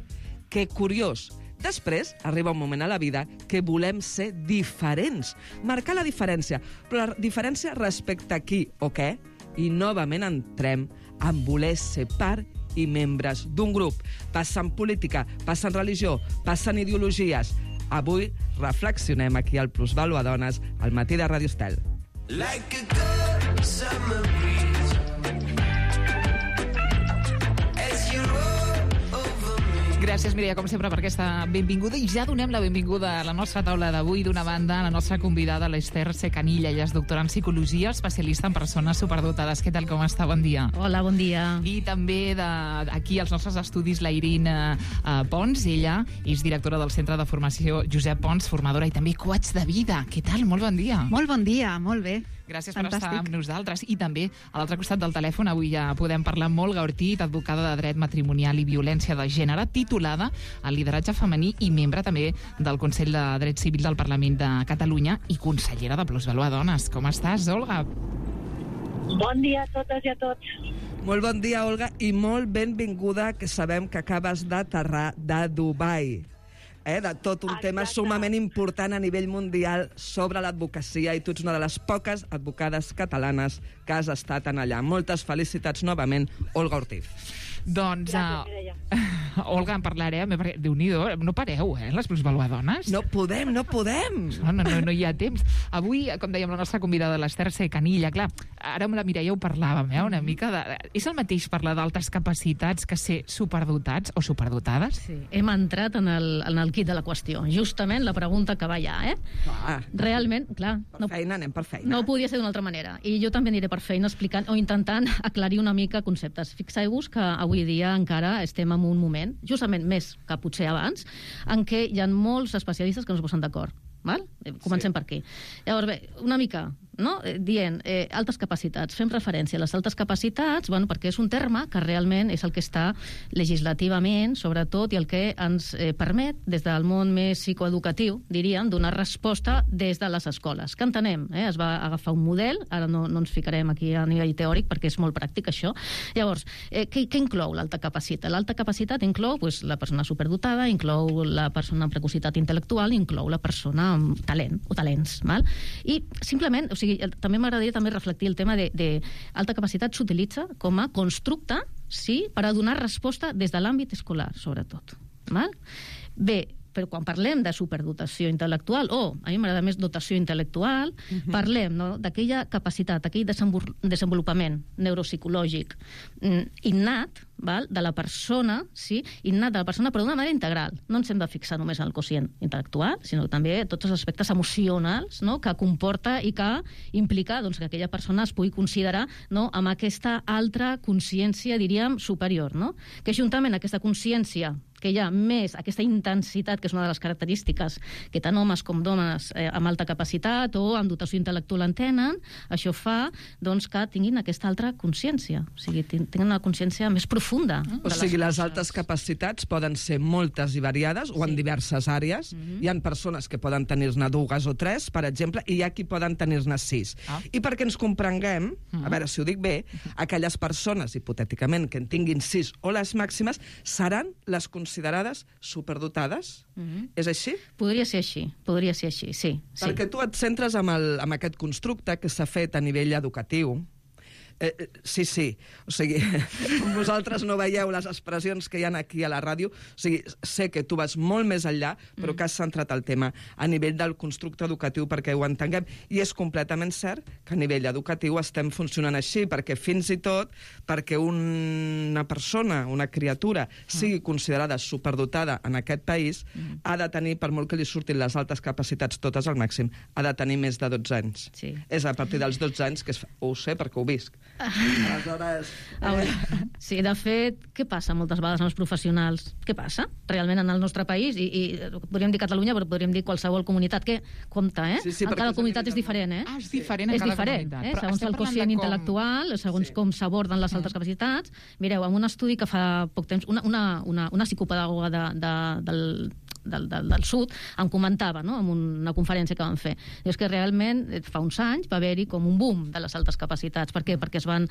N: Que curiós. Després arriba un moment a la vida que volem ser diferents, marcar la diferència, però la diferència respecte a qui o què, i novament entrem en voler ser part i membres d'un grup. Passa en política, passa en religió, passa en ideologies. Avui reflexionem aquí al Plusvàlua Dones, al matí de Ràdio Estel.
M: Like a good summer breeze as you roll over me.
F: Gràcies, Mireia, com sempre, per aquesta benvinguda. I ja donem la benvinguda a la nostra taula d'avui. D'una banda, la nostra convidada, l'Ester Secanilla. Ella és doctora en psicologia, especialista en persones superdotades. Què tal, com està? Bon dia.
O: Hola, bon dia.
F: I també aquí als nostres estudis la Irina Pons. Ella és directora del Centre de Formació Josep Pons, formadora i també coach de vida. Què tal? Molt bon dia.
O: Molt bon dia, molt bé.
F: Gràcies per estar amb nosaltres. I també, a l'altre costat del telèfon, avui ja podem parlar amb Olga Ortiz, advocada de dret matrimonial i violència de gènere, titulada al lideratge femení i membre també del Consell de Dret Civil del Parlament de Catalunya i consellera de Plusvàlua Dones. Com estàs, Olga?
P: Bon dia a totes i a tots.
N: Molt bon dia, Olga, i molt benvinguda, que sabem que acabes d'aterrar de Dubai. De tot un tema sumament important a nivell mundial sobre l'advocacia, i tu ets una de les poques advocades catalanes que has estat en allà. Moltes felicitats novament, Olga Ortiz.
F: Doncs, Olga, en parlarem, perquè Déu-n'hi-do, no pareu, les Plusvàlua Dones?
N: No podem.
F: No hi ha temps. Avui, com dèiem, la nostra convidada, l'Ester Secanilla, clar, ara amb la Mireia ho parlàvem, una mica de... És el mateix parlar d'altes capacitats que ser superdotats o superdotades?
O: Sí, hem entrat en el quid de la qüestió. Justament la pregunta que va allà, Realment, clar...
N: Anem per feina.
O: No podia ser d'una altra manera. I jo també aniré per feina explicant o intentant aclarir una mica conceptes. Fixeu-vos que avui dia encara estem en un moment, justament més que potser abans, en què hi ha molts especialistes que no es posen d'acord. Comencem per aquí. Llavors, bé, una mica, dient altes capacitats. Fem referència a les altes capacitats, perquè és un terme que realment és el que està legislativament, sobretot, i el que ens permet, des del món més psicoeducatiu, diríem, donar resposta des de les escoles. Que entenem? Es va agafar un model, ara no ens ficarem aquí a nivell teòric, perquè és molt pràctic, això. Llavors, què inclou l'alta capacitat? L'alta capacitat inclou la persona superdotada, inclou la persona amb precocitat intel·lectual, inclou la persona amb talent o talents. I simplement, també m'agradaria reflectir el tema de alta capacitat s'utilitza com a constructe, sí, per a donar resposta des de l'àmbit escolar, sobretot. Bé, però quan parlem de superdotació intel·lectual, a mi m'agrada més dotació intel·lectual, parlem d'aquella capacitat, aquell desenvolupament neuropsicològic innat de la persona, innat de la persona, però d'una manera integral. No ens hem de fixar només en el quocient intel·lectual, sinó també tots els aspectes emocionals que comporta i que implica que aquella persona es pugui considerar amb aquesta altra consciència, diríem, superior. Que juntament aquesta consciència que hi ha més aquesta intensitat, que és una de les característiques que tant homes com dones amb alta capacitat o amb dotació intel·lectual en tenen, això fa que tinguin aquesta altra consciència, o sigui, tinguin una consciència més profunda.
N: O sigui, les altes capacitats poden ser moltes i variades, o en diverses àrees. Hi ha persones que poden tenir-ne 2 o 3, per exemple, i hi ha qui poden tenir-ne 6. I perquè ens comprenguem, a veure si ho dic bé, aquelles persones, hipotèticament, que en tinguin 6 o les màximes, seran les considerades superdotades? És així?
O: Podria ser així, sí.
N: Perquè tu et centres en aquest constructe que s'ha fet a nivell educatiu. Sí. O sigui, vosaltres no veieu les expressions que hi ha aquí a la ràdio. O sigui, sé que tu vas molt més enllà, però que has centrat el tema a nivell del constructe educatiu perquè ho entenguem. I és completament cert que a nivell educatiu estem funcionant així, perquè fins i tot perquè una persona, una criatura, sigui considerada superdotada en aquest país, ha de tenir, per molt que li surtin les altes capacitats totes al màxim, ha de tenir més de 12 anys. És a partir dels 12 anys, que ho sé perquè ho visc, Aleshores...
O: Sí, de fet, què passa moltes vegades amb els professionals? Què passa realment en el nostre país? I podríem dir Catalunya, però podríem dir qualsevol comunitat que compta, eh?
N: Sí,
O: en cada comunitat és diferent, eh?
F: És diferent en cada comunitat.
O: Eh? Segons el quocient intel·lectual, segons com s'aborden les altres capacitats. Mireu, en un estudi que fa poc temps, una psicopedagoga del sud em comentava, no?, en una conferència que van fer. És que realment fa uns anys va haver-hi com un boom de les altes capacitats. Per què? Perquè es van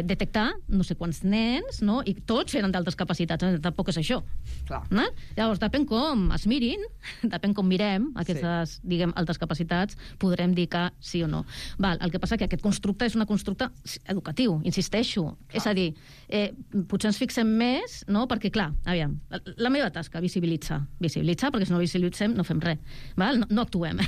O: detectar no sé quants nens, no?, i tots eren d'altes capacitats. Tampoc és això.
N: Clar.
O: No? Llavors, depèn com es mirin, depèn com mirem aquestes, diguem, altes capacitats, podrem dir que sí o no. Val, el que passa que aquest constructe és un constructe educatiu, insisteixo. Clar. És a dir, potser ens fixem més, no?, perquè, clar, aviam, la meva tasca, visibilitzar, perquè si no visibilitzem no fem res, val? No actuem.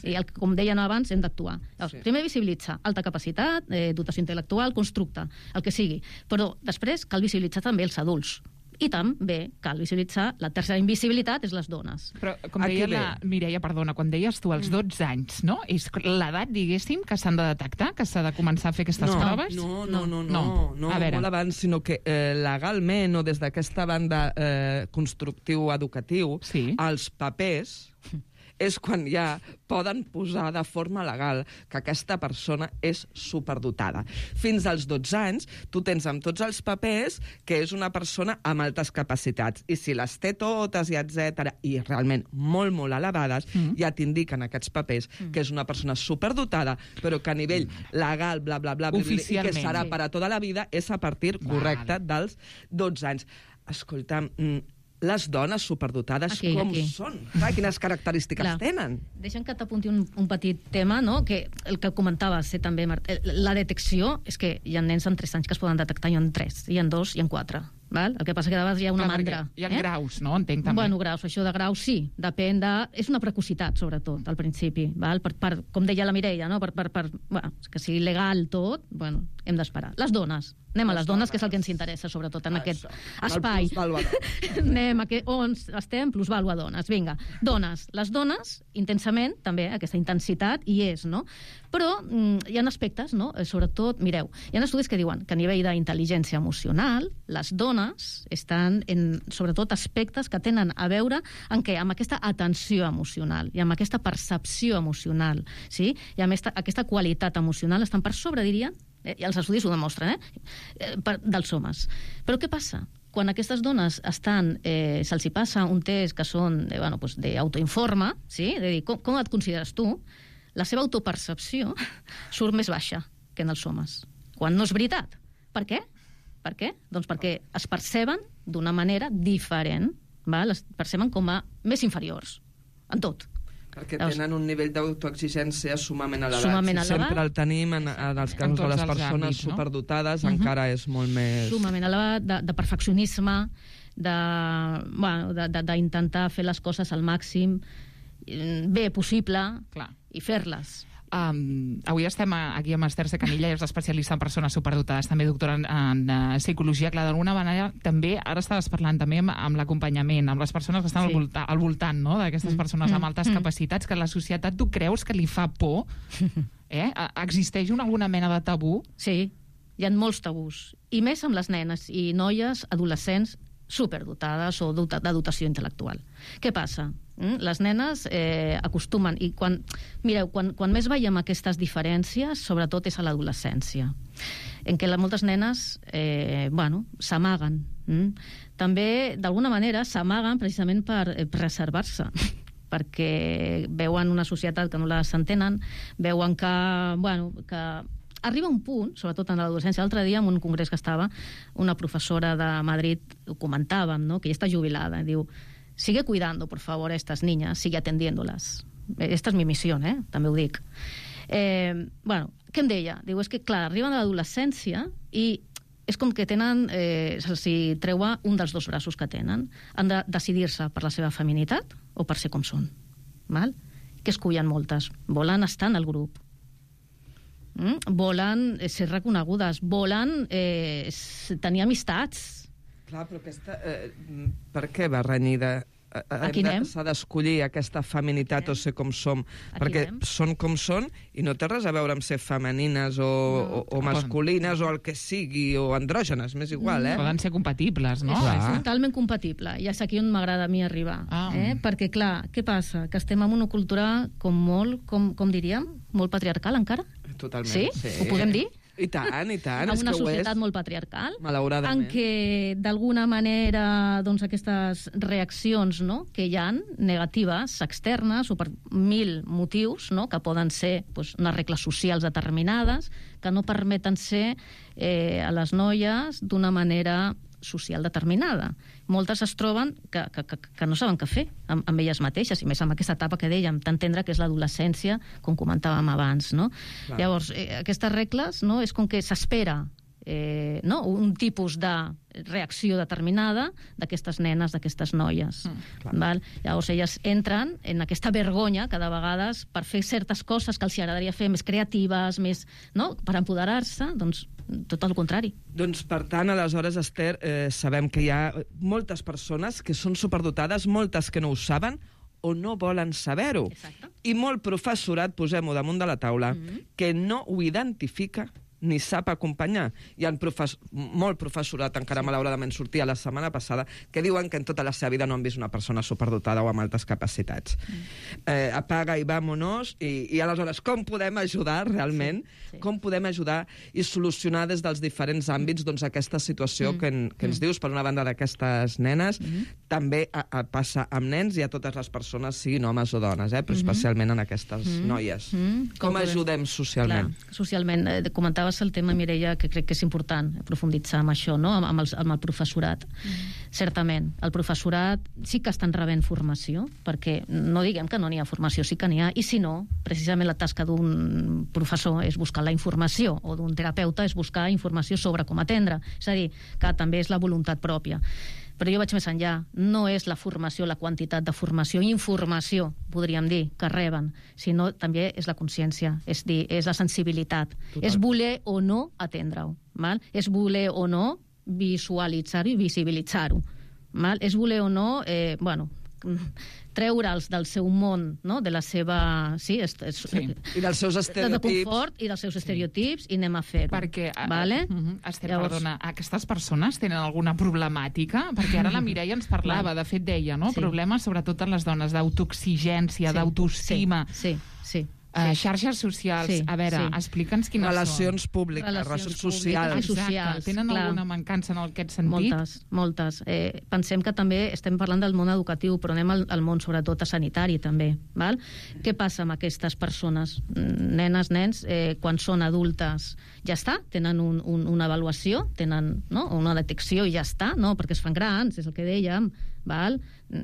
O: Sí. I com deien abans, hem d'actuar. Sí. Primer visibilitzar, alta capacitat, dotació intel·lectual, constructe, el que sigui. Però després cal visibilitzar també els adults. I també cal visibilitzar la tercera invisibilitat, és les dones.
F: Però, com deia la Mireia, perdona, quan deies tu els 12 anys, no? És l'edat, diguéssim, que s'han de detectar, que s'ha de començar a fer aquestes proves?
N: No, molt abans, sinó que legalment o des d'aquesta banda constructiu-educatiu, els papers és quan ja poden posar de forma legal que aquesta persona és superdotada. Fins als 12 anys, tu tens amb tots els papers que és una persona amb altes capacitats. I si les té totes, i etc i realment molt, molt elevades, ja t'indiquen aquests papers que és una persona superdotada, però que a nivell legal, bla, bla, bla, i que serà per a tota la vida, és a partir, correcte, dels 12 anys. Escolta'm, les dones superdotades com són? Quines característiques tenen?
O: Deixa'm que t'apunti un petit tema, no?, que el que comentaves també, la detecció, és que hi ha nens amb 3 anys que es poden detectar, hi ha 3, hi ha 2, hi ha 4. Val? El que passa que de vegades hi ha una mandra.
F: Hi ha graus, no? Entenc també.
O: Bueno, graus, això de graus sí, depèn de... És una precocitat, sobretot, al principi, val? Com deia la Mireia, no? Bueno, que sigui legal tot, bueno, hem d'esperar. Les dones. Anem a les dones, que és el que ens interessa, sobretot, en aquest espai. Anem on estem, plusvàlua dones. Vinga, dones. Les dones, intensament, també, aquesta intensitat hi és, no? Però hi ha aspectes, no? Sobretot, mireu, hi ha estudis que diuen que a nivell d'intel·ligència emocional, les dones estan en, sobretot, aspectes que tenen a veure amb què? Amb aquesta atenció emocional i amb aquesta percepció emocional, sí? I amb aquesta qualitat emocional estan per sobre, dirien, i els estudis ho demostren, dels homes. Però què passa? Quan aquestes dones estan, se'ls hi passa un test que són d'autoinforme, sí? De dir, com et consideres tu? La seva autopercepció surt més baixa que en els homes. Quan no és veritat. Per què? Per què? Doncs perquè es perceben d'una manera diferent, val? Es perceben com a més inferiors, en tot.
N: Perquè tenen un nivell d'autoexigència sumament elevat. Sempre el tenim en els casos de les persones superdotades, encara és molt més...
O: Sumament elevat, de perfeccionisme, d'intentar fer les coses al màxim bé possible i fer-les.
F: Avui estem aquí amb Esther Secanilla, és especialista en persones superdotades, també doctora en psicologia. Clar, d'alguna manera, també, ara estaves parlant també amb l'acompanyament, amb les persones que estan al voltant, no?, d'aquestes persones amb altes capacitats, que la societat, tu creus que li fa por? Existeix alguna mena de tabú?
O: Sí, hi ha molts tabús, i més amb les nenes i noies adolescents superdotades o de dotació intel·lectual. Què passa? Les nenes acostumen, i quan més veiem aquestes diferències, sobretot és a l'adolescència, en què moltes nenes s'amaguen. També, d'alguna manera, s'amaguen precisament per preservar-se, perquè veuen una societat que no les entenen, veuen que arriba un punt, sobretot en l'adolescència. L'altre dia, en un congrés que estava, una professora de Madrid, ho comentàvem, no?, que ja està jubilada, diu, sigue cuidando, por favor, a estas niñas, sigue atendiéndolas. Esta es mi misión, també ho dic. Què em deia? Diu, és que, clar, arriben a l'adolescència i és com que tenen, se'ls treua un dels dos braços que tenen. Han de decidir-se per la seva feminitat o per ser com són. Val? Què escullen moltes? Volen estar en el grup. Volen ser reconegudes, volen tenir amistats.
N: Clar, però aquesta... per què va renyida s'ha d'escollir aquesta feminitat o ser com som, perquè són com són i no té res a veure amb ser femenines o masculines o el que sigui, o andrògenes, m'és igual,
F: Poden ser compatibles, no?
O: És totalment compatible, i és aquí on m'agrada a mi arribar. Perquè, clar, què passa? Que estem en una cultura com diríem, molt patriarcal encara?
N: Totalment.
O: Sí? Ho podem dir?
N: I tant.
O: En una societat molt patriarcal,
N: malauradament,
O: en què d'alguna manera doncs, aquestes reaccions que hi ha negatives, externes, o per 1000 motius, que poden ser unes regles socials determinades, que no permeten ser a les noies d'una manera social determinada. Moltes es troben que no saben què fer amb elles mateixes, i més amb aquesta etapa que dèiem, tan tendra que és l'adolescència, com comentàvem abans. Llavors, aquestes regles és com que s'espera un tipus de reacció determinada d'aquestes nenes, d'aquestes noies. Llavors elles entren en aquesta vergonya que de vegades per fer certes coses que els agradaria fer més creatives, més per empoderar-se, doncs tot el contrari.
N: Doncs per tant, aleshores, Esther, sabem que hi ha moltes persones que són superdotades, moltes que no ho saben o no volen saber-ho. I molt professorat, posem-ho damunt de la taula, que no ho identifica ni sap acompanyar. Hi ha molt professorat, encara malauradament sortia la setmana passada, que diuen que en tota la seva vida no han vist una persona superdotada o amb altes capacitats. Apaga i vámonos, i aleshores com podem ajudar realment? Com podem ajudar i solucionar des dels diferents àmbits aquesta situació que ens dius, per una banda, d'aquestes nenes, també passa amb nens i a totes les persones, siguin homes o dones, però especialment en aquestes noies. Com ajudem socialment?
O: Socialment, comentaves el tema, Mireia, que crec que és important profunditzar amb això, amb el professorat. Certament, el professorat sí que estan rebent formació, perquè no diguem que no n'hi ha formació, sí que n'hi ha, i si no, precisament la tasca d'un professor és buscar la informació, o d'un terapeuta és buscar informació sobre com atendre. És a dir, que també és la voluntat pròpia. Però jo vaig més enllà. No és la formació, la quantitat de formació, informació, podríem dir, que reben, sinó també és la consciència, és dir, és la sensibilitat. És voler o no atendre-ho. És voler o no visualitzar-ho i visibilitzar-ho. És voler o no, treure'ls del seu món, de la seva...
N: I dels seus estereotips.
O: De confort i dels seus estereotips, i anem a fer-ho.
F: Perquè, Esther, perdona, aquestes persones tenen alguna problemàtica? Perquè ara la Mireia ens parlava, de fet deia, problemes sobretot en les dones, d'autoexigència, d'autoestima.
O: Sí.
F: Xarxes socials. A veure, explica'ns quines
N: relacions públiques, relacions socials.
F: Exacte. Tenen alguna mancança en aquest sentit?
O: Moltes. Pensem que també estem parlant del món educatiu, però anem al món sobretot sanitari també. Què passa amb aquestes persones? Nenes, nens, quan són adultes ja està, tenen una avaluació, tenen una detecció i ja està, perquè es fan grans, és el que dèiem,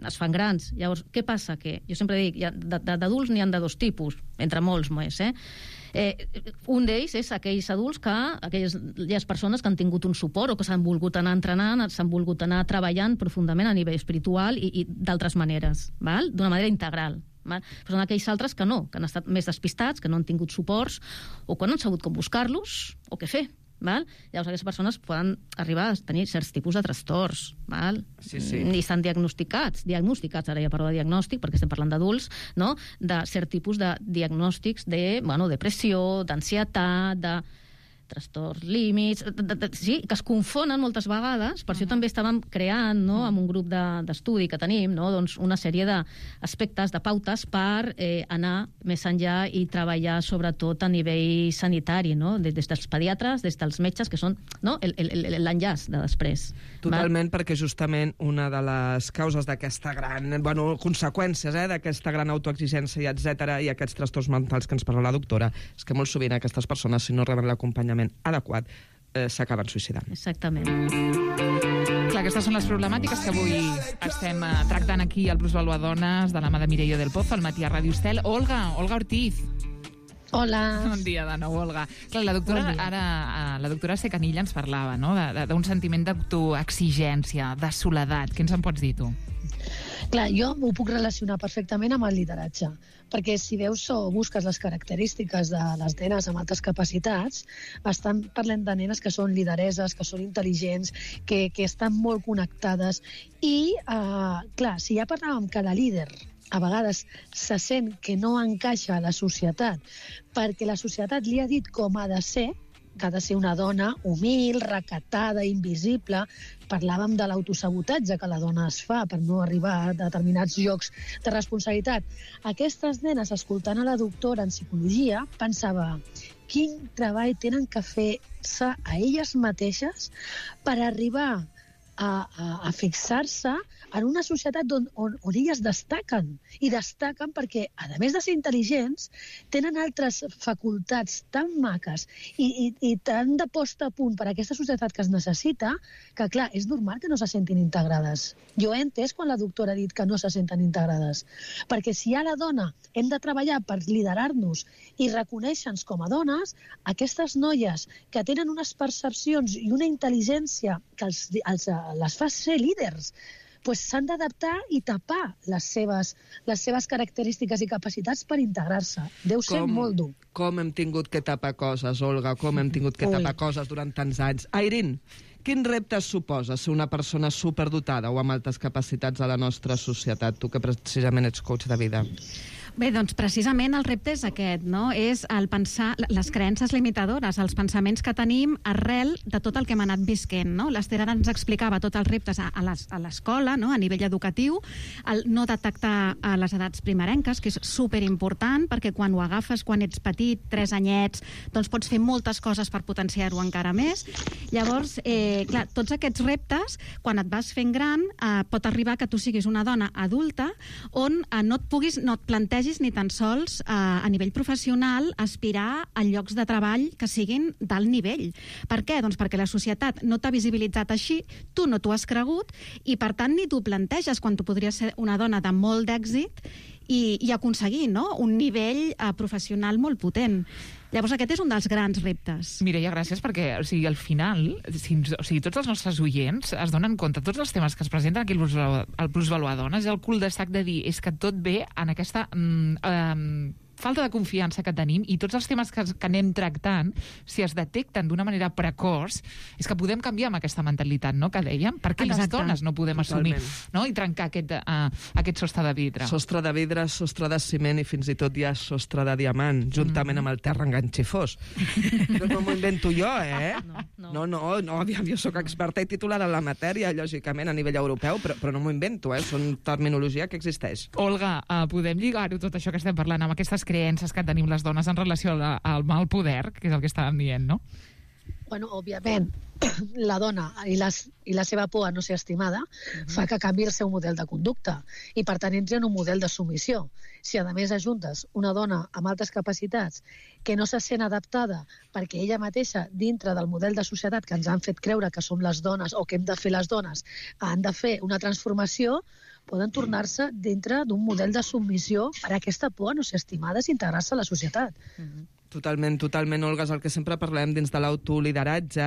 O: es fan grans. Llavors, què passa? Que jo sempre dic, d'adults n'hi ha de dos tipus, entre molts més. Un d'ells és aquells adults aquelles persones que han tingut un suport o que s'han volgut anar entrenant, s'han volgut anar treballant profundament a nivell espiritual i d'altres maneres, d'una manera integral. Però són aquells altres que no, que han estat més despistats, que no han tingut suports o que no han sabut com buscar-los o què fer. Llavors aquestes persones poden arribar a tenir certs tipus de trastorns, i estan diagnosticats, ara ja parlo de diagnòstic perquè estem parlant d'adults, de cert tipus de diagnòstics de depressió, d'ansietat, de trastorns límits, que es confonen moltes vegades. Per això també estàvem creant, amb un grup d'estudi que tenim, una sèrie d'aspectes, de pautes per anar més enllà i treballar sobretot a nivell sanitari, des dels pediatres, des dels metges, que són l'enllaç de després.
N: Totalment, perquè justament una de les causes d'aquesta gran... conseqüències d'aquesta gran autoexigència, etcètera, i aquests trastorns mentals que ens parla la doctora, és que molt sovint aquestes persones, si no reben l'acompanyament adequat, s'acaben suïcidant.
O: Exactament.
F: Clar, aquestes són les problemàtiques que avui estem tractant aquí al Plusvalua Dones, de la mà de Mireia del Pozo, al matí a Ràdio Estel. Olga Ortiz.
L: Hola.
F: Bon dia de nou, Olga. Clar, la doctora Secanilla ens parlava d'un sentiment d'autoexigència, de soledat. Què ens en pots dir, tu?
Q: Clar, jo ho puc relacionar perfectament amb el lideratge, perquè si veus o busques les característiques de les nenes amb altes capacitats, estan parlant de nenes que són lidereses, que són intel·ligents, que estan molt connectades. I, clar, si ja parlàvem que la líder a vegades se sent que no encaixa a la societat perquè la societat li ha dit com ha de ser, que ha de ser una dona humil, recatada, invisible. Parlàvem de l'autosabotatge que la dona es fa per no arribar a determinats llocs de responsabilitat. Aquestes nenes, escoltant a la doctora en psicologia, pensava quin treball tenen que fer-se a elles mateixes per arribar a fixar-se en una societat on elles destaquen. I destaquen perquè, a més de ser intel·ligents, tenen altres facultats tan maques i tan de posta a punt per a aquesta societat que es necessita, que, clar, és normal que no se sentin integrades. Jo he entès quan la doctora ha dit que no se senten integrades. Perquè si a la dona hem de treballar per liderar-nos i reconèixer-nos com a dones, aquestes noies que tenen unes percepcions i una intel·ligència que les fa ser líders, doncs s'han d'adaptar i tapar les seves característiques i capacitats per integrar-se. Deu ser molt dur.
N: Com hem tingut que tapar coses, Olga, com hem tingut que tapar coses durant tants anys. Airin, quin repte suposa ser una persona superdotada o amb altes capacitats a la nostra societat? Tu que precisament ets coach de vida.
R: Bé, doncs precisament el repte és aquest, no? És el pensar, les creences limitadores, els pensaments que tenim arrel de tot el que hem anat visquent, no? L'Ester ara ens explicava tots els reptes a l'escola, no? A nivell educatiu, el no detectar a les edats primerenques, que és superimportant, perquè quan ho agafes, quan ets petit, 3 anyets, doncs pots fer moltes coses per potenciar-ho encara més. Llavors, clar, tots aquests reptes, quan et vas fent gran, pot arribar que tu siguis una dona adulta on no et plantegis ni tan sols a nivell professional aspirar a llocs de treball que siguin d'alt nivell. Per què? Doncs perquè la societat no t'ha visibilitzat així, tu no t'ho has cregut i per tant ni t'ho planteges quan tu podries ser una dona de molt d'èxit i aconseguir, no?, un nivell professional molt potent. Llavors aquest és un dels grans reptes.
F: Mireia, gràcies, perquè al final, tots els nostres oients es donen compte, tots els temes que es presenten aquí al Plusvaluar Dones, és el cul de sac de dir, és que tot ve en aquesta falta de confiança que tenim i tots els temes que anem tractant, si es detecten d'una manera precoç, és que podem canviar amb aquesta mentalitat, no?, que dèiem. Per què les dones no podem assumir, no?, i trencar aquest sostre de vidre?
N: Sostre de vidre, sostre de ciment i fins i tot hi ha sostre de diamant, juntament amb el terra enganxifós. No m'ho invento jo, No, aviam, jo sóc experta i titulada en la matèria, lògicament, a nivell europeu, però no m'ho invento, són terminologia que existeix.
F: Olga, podem lligar-ho tot això que estem parlant amb aquestes creences que tenim les dones en relació al mal poder, que és el que estàvem dient, no?
Q: Bueno, òbviament, la dona i la seva por a no ser estimada fa que canvi el seu model de conducta i, per tant, entri en un model de submissió. Si, a més, ajuntes una dona amb altes capacitats que no se sent adaptada perquè ella mateixa, dintre del model de societat que ens han fet creure que som les dones o que hem de fer les dones, han de fer una transformació, poden tornar-se dintre d'un model de submissió per aquesta por a no ser estimades i integrar-se a la societat.
N: Totalment, Olga, és el que sempre parlem dins de l'autolideratge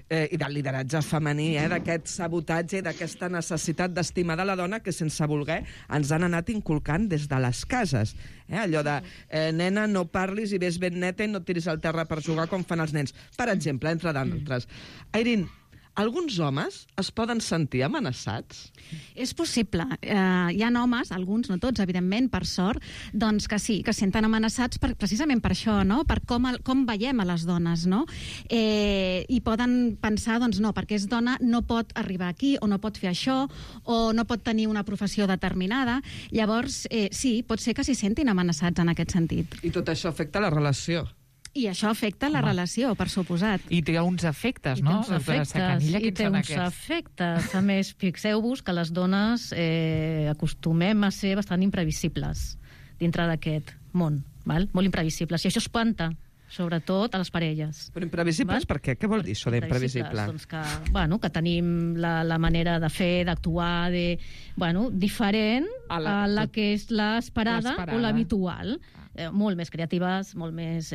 N: i del lideratge femení, d'aquest sabotatge i d'aquesta necessitat d'estimar de la dona que, sense voler, ens han anat inculcant des de les cases. Allò de, nena, no parlis i ves ben neta i no tiris al terra per jugar com fan els nens. Per exemple, entre d'altres. Airin, alguns homes es poden sentir amenaçats?
R: És possible. Hi ha homes, alguns, no tots, evidentment, per sort, doncs que sí, que senten amenaçats precisament per això, no?, per com veiem a les dones, no? I poden pensar, doncs no, perquè és dona no pot arribar aquí, o no pot fer això, o no pot tenir una professió determinada. Llavors, sí, pot ser que s'hi sentin amenaçats en aquest sentit.
N: I tot això afecta la relació.
R: I això afecta la relació, per suposat.
F: I té uns efectes, no?
O: I té uns efectes. A més, fixeu-vos que les dones acostumem a ser bastant imprevisibles dintre d'aquest món, val? Molt imprevisibles. I això espanta, sobretot a les parelles.
N: Però imprevisibles per què? Què vol dir això d'imprevisible?
O: Doncs que tenim la manera de fer, d'actuar, diferent a la que és l'esperada o l'habitual. Molt més creatives, molt més...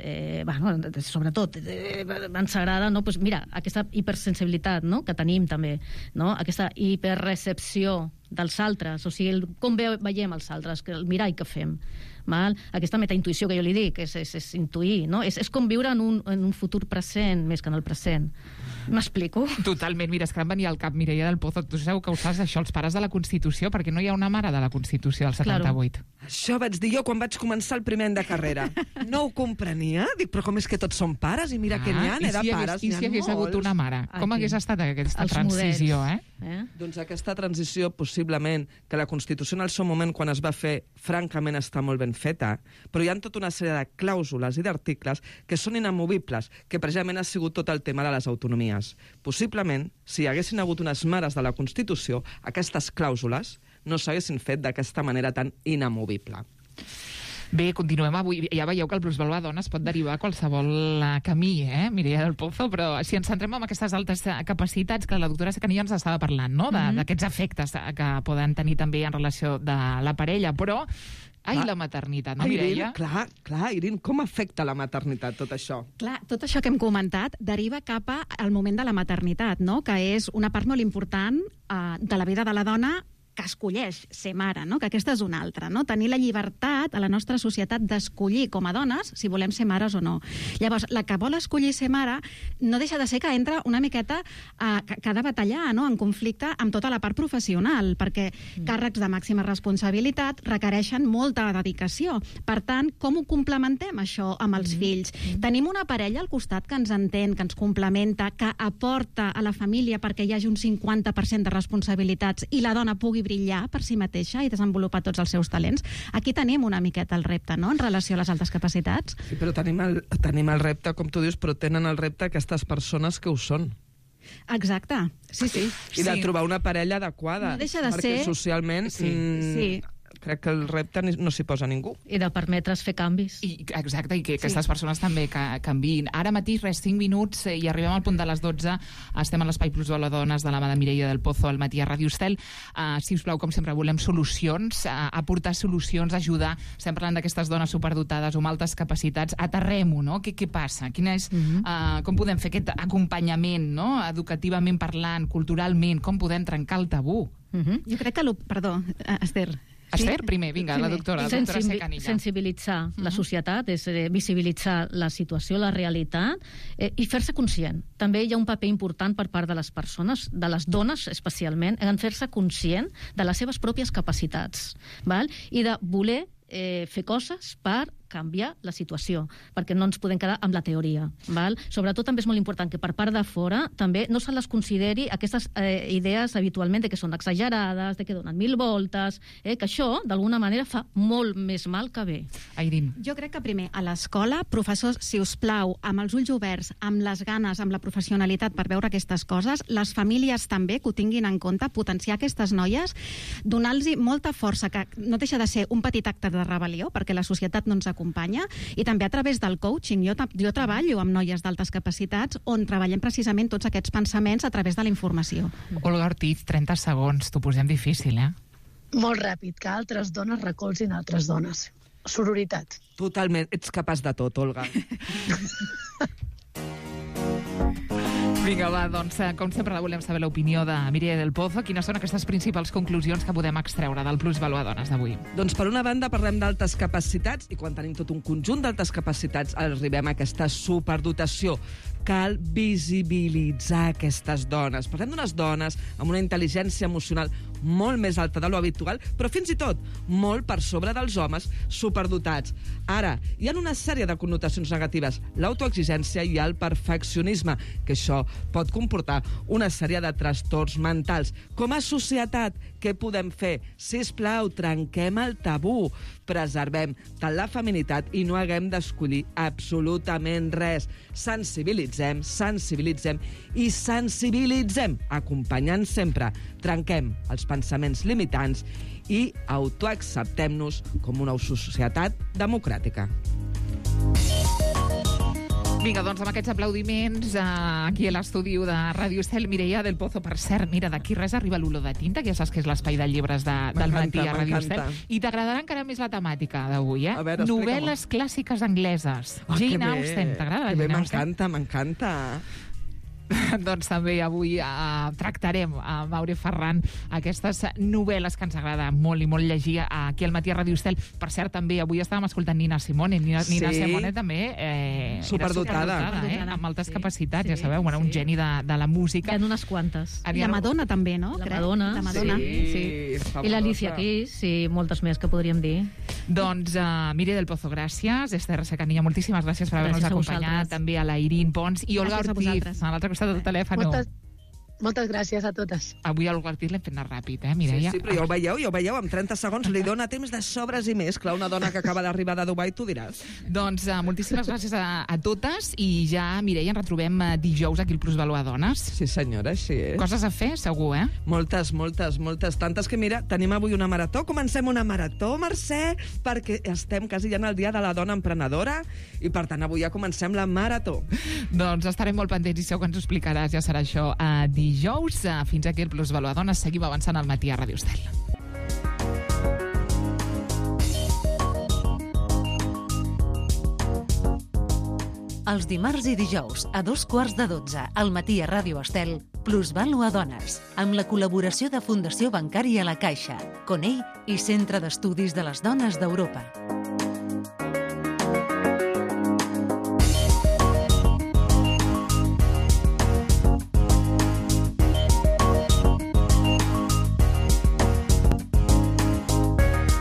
O: sobretot, ens agrada, mira, aquesta hipersensibilitat que tenim també, aquesta hiperrecepció dels altres, o sigui, com veiem els altres, el mirall que fem. Val? Aquesta metaintuïció que jo li dic és intuir, no? És com viure en un futur present més que en el present. M'explico?
F: Totalment. Mira, és que em venia al cap, Mireia del Pozo, tu sabeu que ho saps, això, els pares de la Constitució, perquè no hi ha una mare de la Constitució del 78.
N: Claro. Això vaig dir jo quan vaig començar el primer any de carrera. No ho comprenia. Dic, però com és que tots són pares? I mira que n'hi ha, de pares.
F: I si hagués hagut una mare? Com hagués estat aquesta transició,
N: Doncs aquesta transició, possiblement, que la Constitució en el seu moment, quan es va fer, francament està molt ben feta, però hi ha tota una sèrie de clàusules i d'articles que són inamovibles, que precisament ha sigut tot el tema de les autonomies. Possiblement, si hi haguessin hagut unes mares de la Constitució, aquestes clàusules no s'haguessin fet d'aquesta manera tan inamovible.
F: Bé, continuem avui. Ja veieu que el plusvalua dona es pot derivar a qualsevol camí, Mireia del Pozo, però si ens centrem en aquestes altes capacitats que la doctora Secanillo ens estava parlant, no? D'aquests efectes que poden tenir també en relació de la parella, però la maternitat, no, Mireia?
N: Clar, Irin, com afecta la maternitat tot això?
R: Clar, tot això que hem comentat deriva cap al moment de la maternitat, no? Que és una part molt important de la vida de la dona que escolleix ser mare, no? Que aquesta és una altra, no? Tenir la llibertat a la nostra societat d'escollir com a dones si volem ser mares o no. Llavors, la que vol escollir ser mare no deixa de ser que entra una miqueta que ha de batallar, no? En conflicte amb tota la part professional, perquè càrrecs de màxima responsabilitat requereixen molta dedicació. Per tant, com ho complementem, això, amb els fills? Tenim una parella al costat que ens entén, que ens complementa, que aporta a la família perquè hi hagi un 50% de responsabilitats i la dona pugui brillar per si mateixa i desenvolupar tots els seus talents. Aquí tenim una miqueta el repte, no?, en relació a les altes capacitats.
N: Sí, però tenim el repte, com tu dius, però tenen el repte aquestes persones que ho són.
R: Exacte, sí.
N: I de trobar una parella adequada.
R: No deixa de
N: perquè
R: ser...
N: socialment...
R: Sí.
N: Crec que el repte no s'hi posa ningú.
O: I de permetre's fer canvis.
F: Exacte, i que aquestes persones també canviïn. Ara mateix, 5 minuts, i arribem al punt de les 12. Estem a l'Espai Plusvalua Dones de la mà de Mireia del Pozo al matí a Ràdio Estel. Si us plau, com sempre, volem solucions, aportar solucions, ajudar. Estem parlant d'aquestes dones superdotades o amb altes capacitats. Aterrem-ho, no? Què passa? Com podem fer aquest acompanyament, no? Educativament parlant, culturalment, com podem trencar el tabú?
R: Jo crec que... Perdó, Esther...
F: Esther, primer, vinga, la doctora Secanillo.
O: Sensibilitzar la societat, és visibilitzar la situació, la realitat, i fer-se conscient. També hi ha un paper important per part de les persones, de les dones especialment, en fer-se conscient de les seves pròpies capacitats, val? I de voler fer coses per canviar la situació, perquè no ens podem quedar amb la teoria. Val? Sobretot també és molt important que per part de fora també no se les consideri aquestes idees habitualment de que són exagerades, de que donen 1000 voltes, que això d'alguna manera fa molt més mal que bé.
F: Airin.
R: Jo crec que primer a l'escola, professors, si us plau, amb els ulls oberts, amb les ganes, amb la professionalitat per veure aquestes coses, les famílies també que ho tinguin en compte, potenciar aquestes noies, donar-los molta força, que no deixa de ser un petit acte de rebel·lió, perquè la societat no ens acompanya, i també a través del coaching. Jo treballo amb noies d'altes capacitats on treballem precisament tots aquests pensaments a través de la informació.
F: Olga Ortiz, 30 segons, t'ho posem difícil,
Q: Molt ràpid, que altres dones recolzin altres dones. Sororitat.
N: Totalment, ets capaç de tot, Olga.
F: Vinga, va, doncs, com sempre volem saber l'opinió de Mireia del Pozo. Quines són aquestes principals conclusions que podem extreure del Plusvalua Dones d'avui?
N: Doncs per una banda parlem d'altes capacitats, i quan tenim tot un conjunt d'altes capacitats arribem a aquesta superdotació. Cal visibilitzar aquestes dones. Parlem d'unes dones amb una intel·ligència emocional molt més alta de lo habitual, però fins i tot molt per sobre dels homes superdotats. Ara, hi ha una sèrie de connotacions negatives, l'autoexigència i el perfeccionisme, que això pot comportar una sèrie de trastorns mentals. Com a societat, què podem fer? Sisplau, trenquem el tabú, preservem tant la feminitat i no haguem d'escollir absolutament res. Sensibilitzem i sensibilitzem, acompanyant sempre. Trenquem els pensaments limitants i autoacceptem-nos com una societat democràtica.
F: Vinga, doncs amb aquests aplaudiments aquí a l'estudi de Ràdio Estel, Mireia del Pozo. Per cert, mira, d'aquí res arriba l'olor de tinta, que ja saps que és l'espai de llibres del matí a Ràdio Estel. I t'agradarà encara més la temàtica d'avui, Novel·les clàssiques angleses. Jane Austen, t'agrada?
N: M'encanta.
F: Doncs també avui tractarem a Maure Ferran aquestes novel·les que ens agrada molt i molt llegir aquí al Matí a Ràdio Estel. Per cert, també avui estàvem escoltant Nina Simone. Nina Simone també
N: superdotada,
F: amb altes capacitats, ja sabeu, un geni de la música.
O: Hi ha unes quantes.
R: I la Madonna també, no?
O: La Madonna.
N: Sí.
O: I l'Alicia Keys, i moltes més que podríem dir.
F: Doncs Mire del Pozo, gràcies. Esther Secanilla, moltíssimes gràcies per haver-nos acompanyat. També a la Irín Pons i Olga Ortiz, a l'altre costat del telèfon.
Q: Moltes gràcies a totes.
F: Avui a Olga Ortiz l'hem fet anar ràpid, Mireia?
N: Sí, però ja ho veieu, amb 30 segons li dona temps de sobres i més. Clar, una dona que acaba d'arribar de Dubai, tu diràs.
F: Doncs moltíssimes gràcies a totes i ja, Mireia, ens retrobem dijous aquí al Plusvalor Dones.
N: Sí, senyora, així és.
F: Coses a fer, segur,
N: Moltes. Tantes que, mira, tenim avui una marató. Comencem una marató, Mercè, perquè estem quasi ja en el dia de la dona emprenedora i, per tant, avui ja comencem la marató.
F: Doncs estarem molt pendents i segur que ens ho explicaràs. Ja serà això dijous. Fins aquí el Plusvalor Dones. Seguim avançant al Matí a Ràdio Estel.
E: Els dimarts i dijous, a 2:15, al Matí a Ràdio Estel, Plusvalor Dones, amb la col·laboració de Fundació Bancària La Caixa, Conell i Centre d'Estudis de les Dones d'Europa.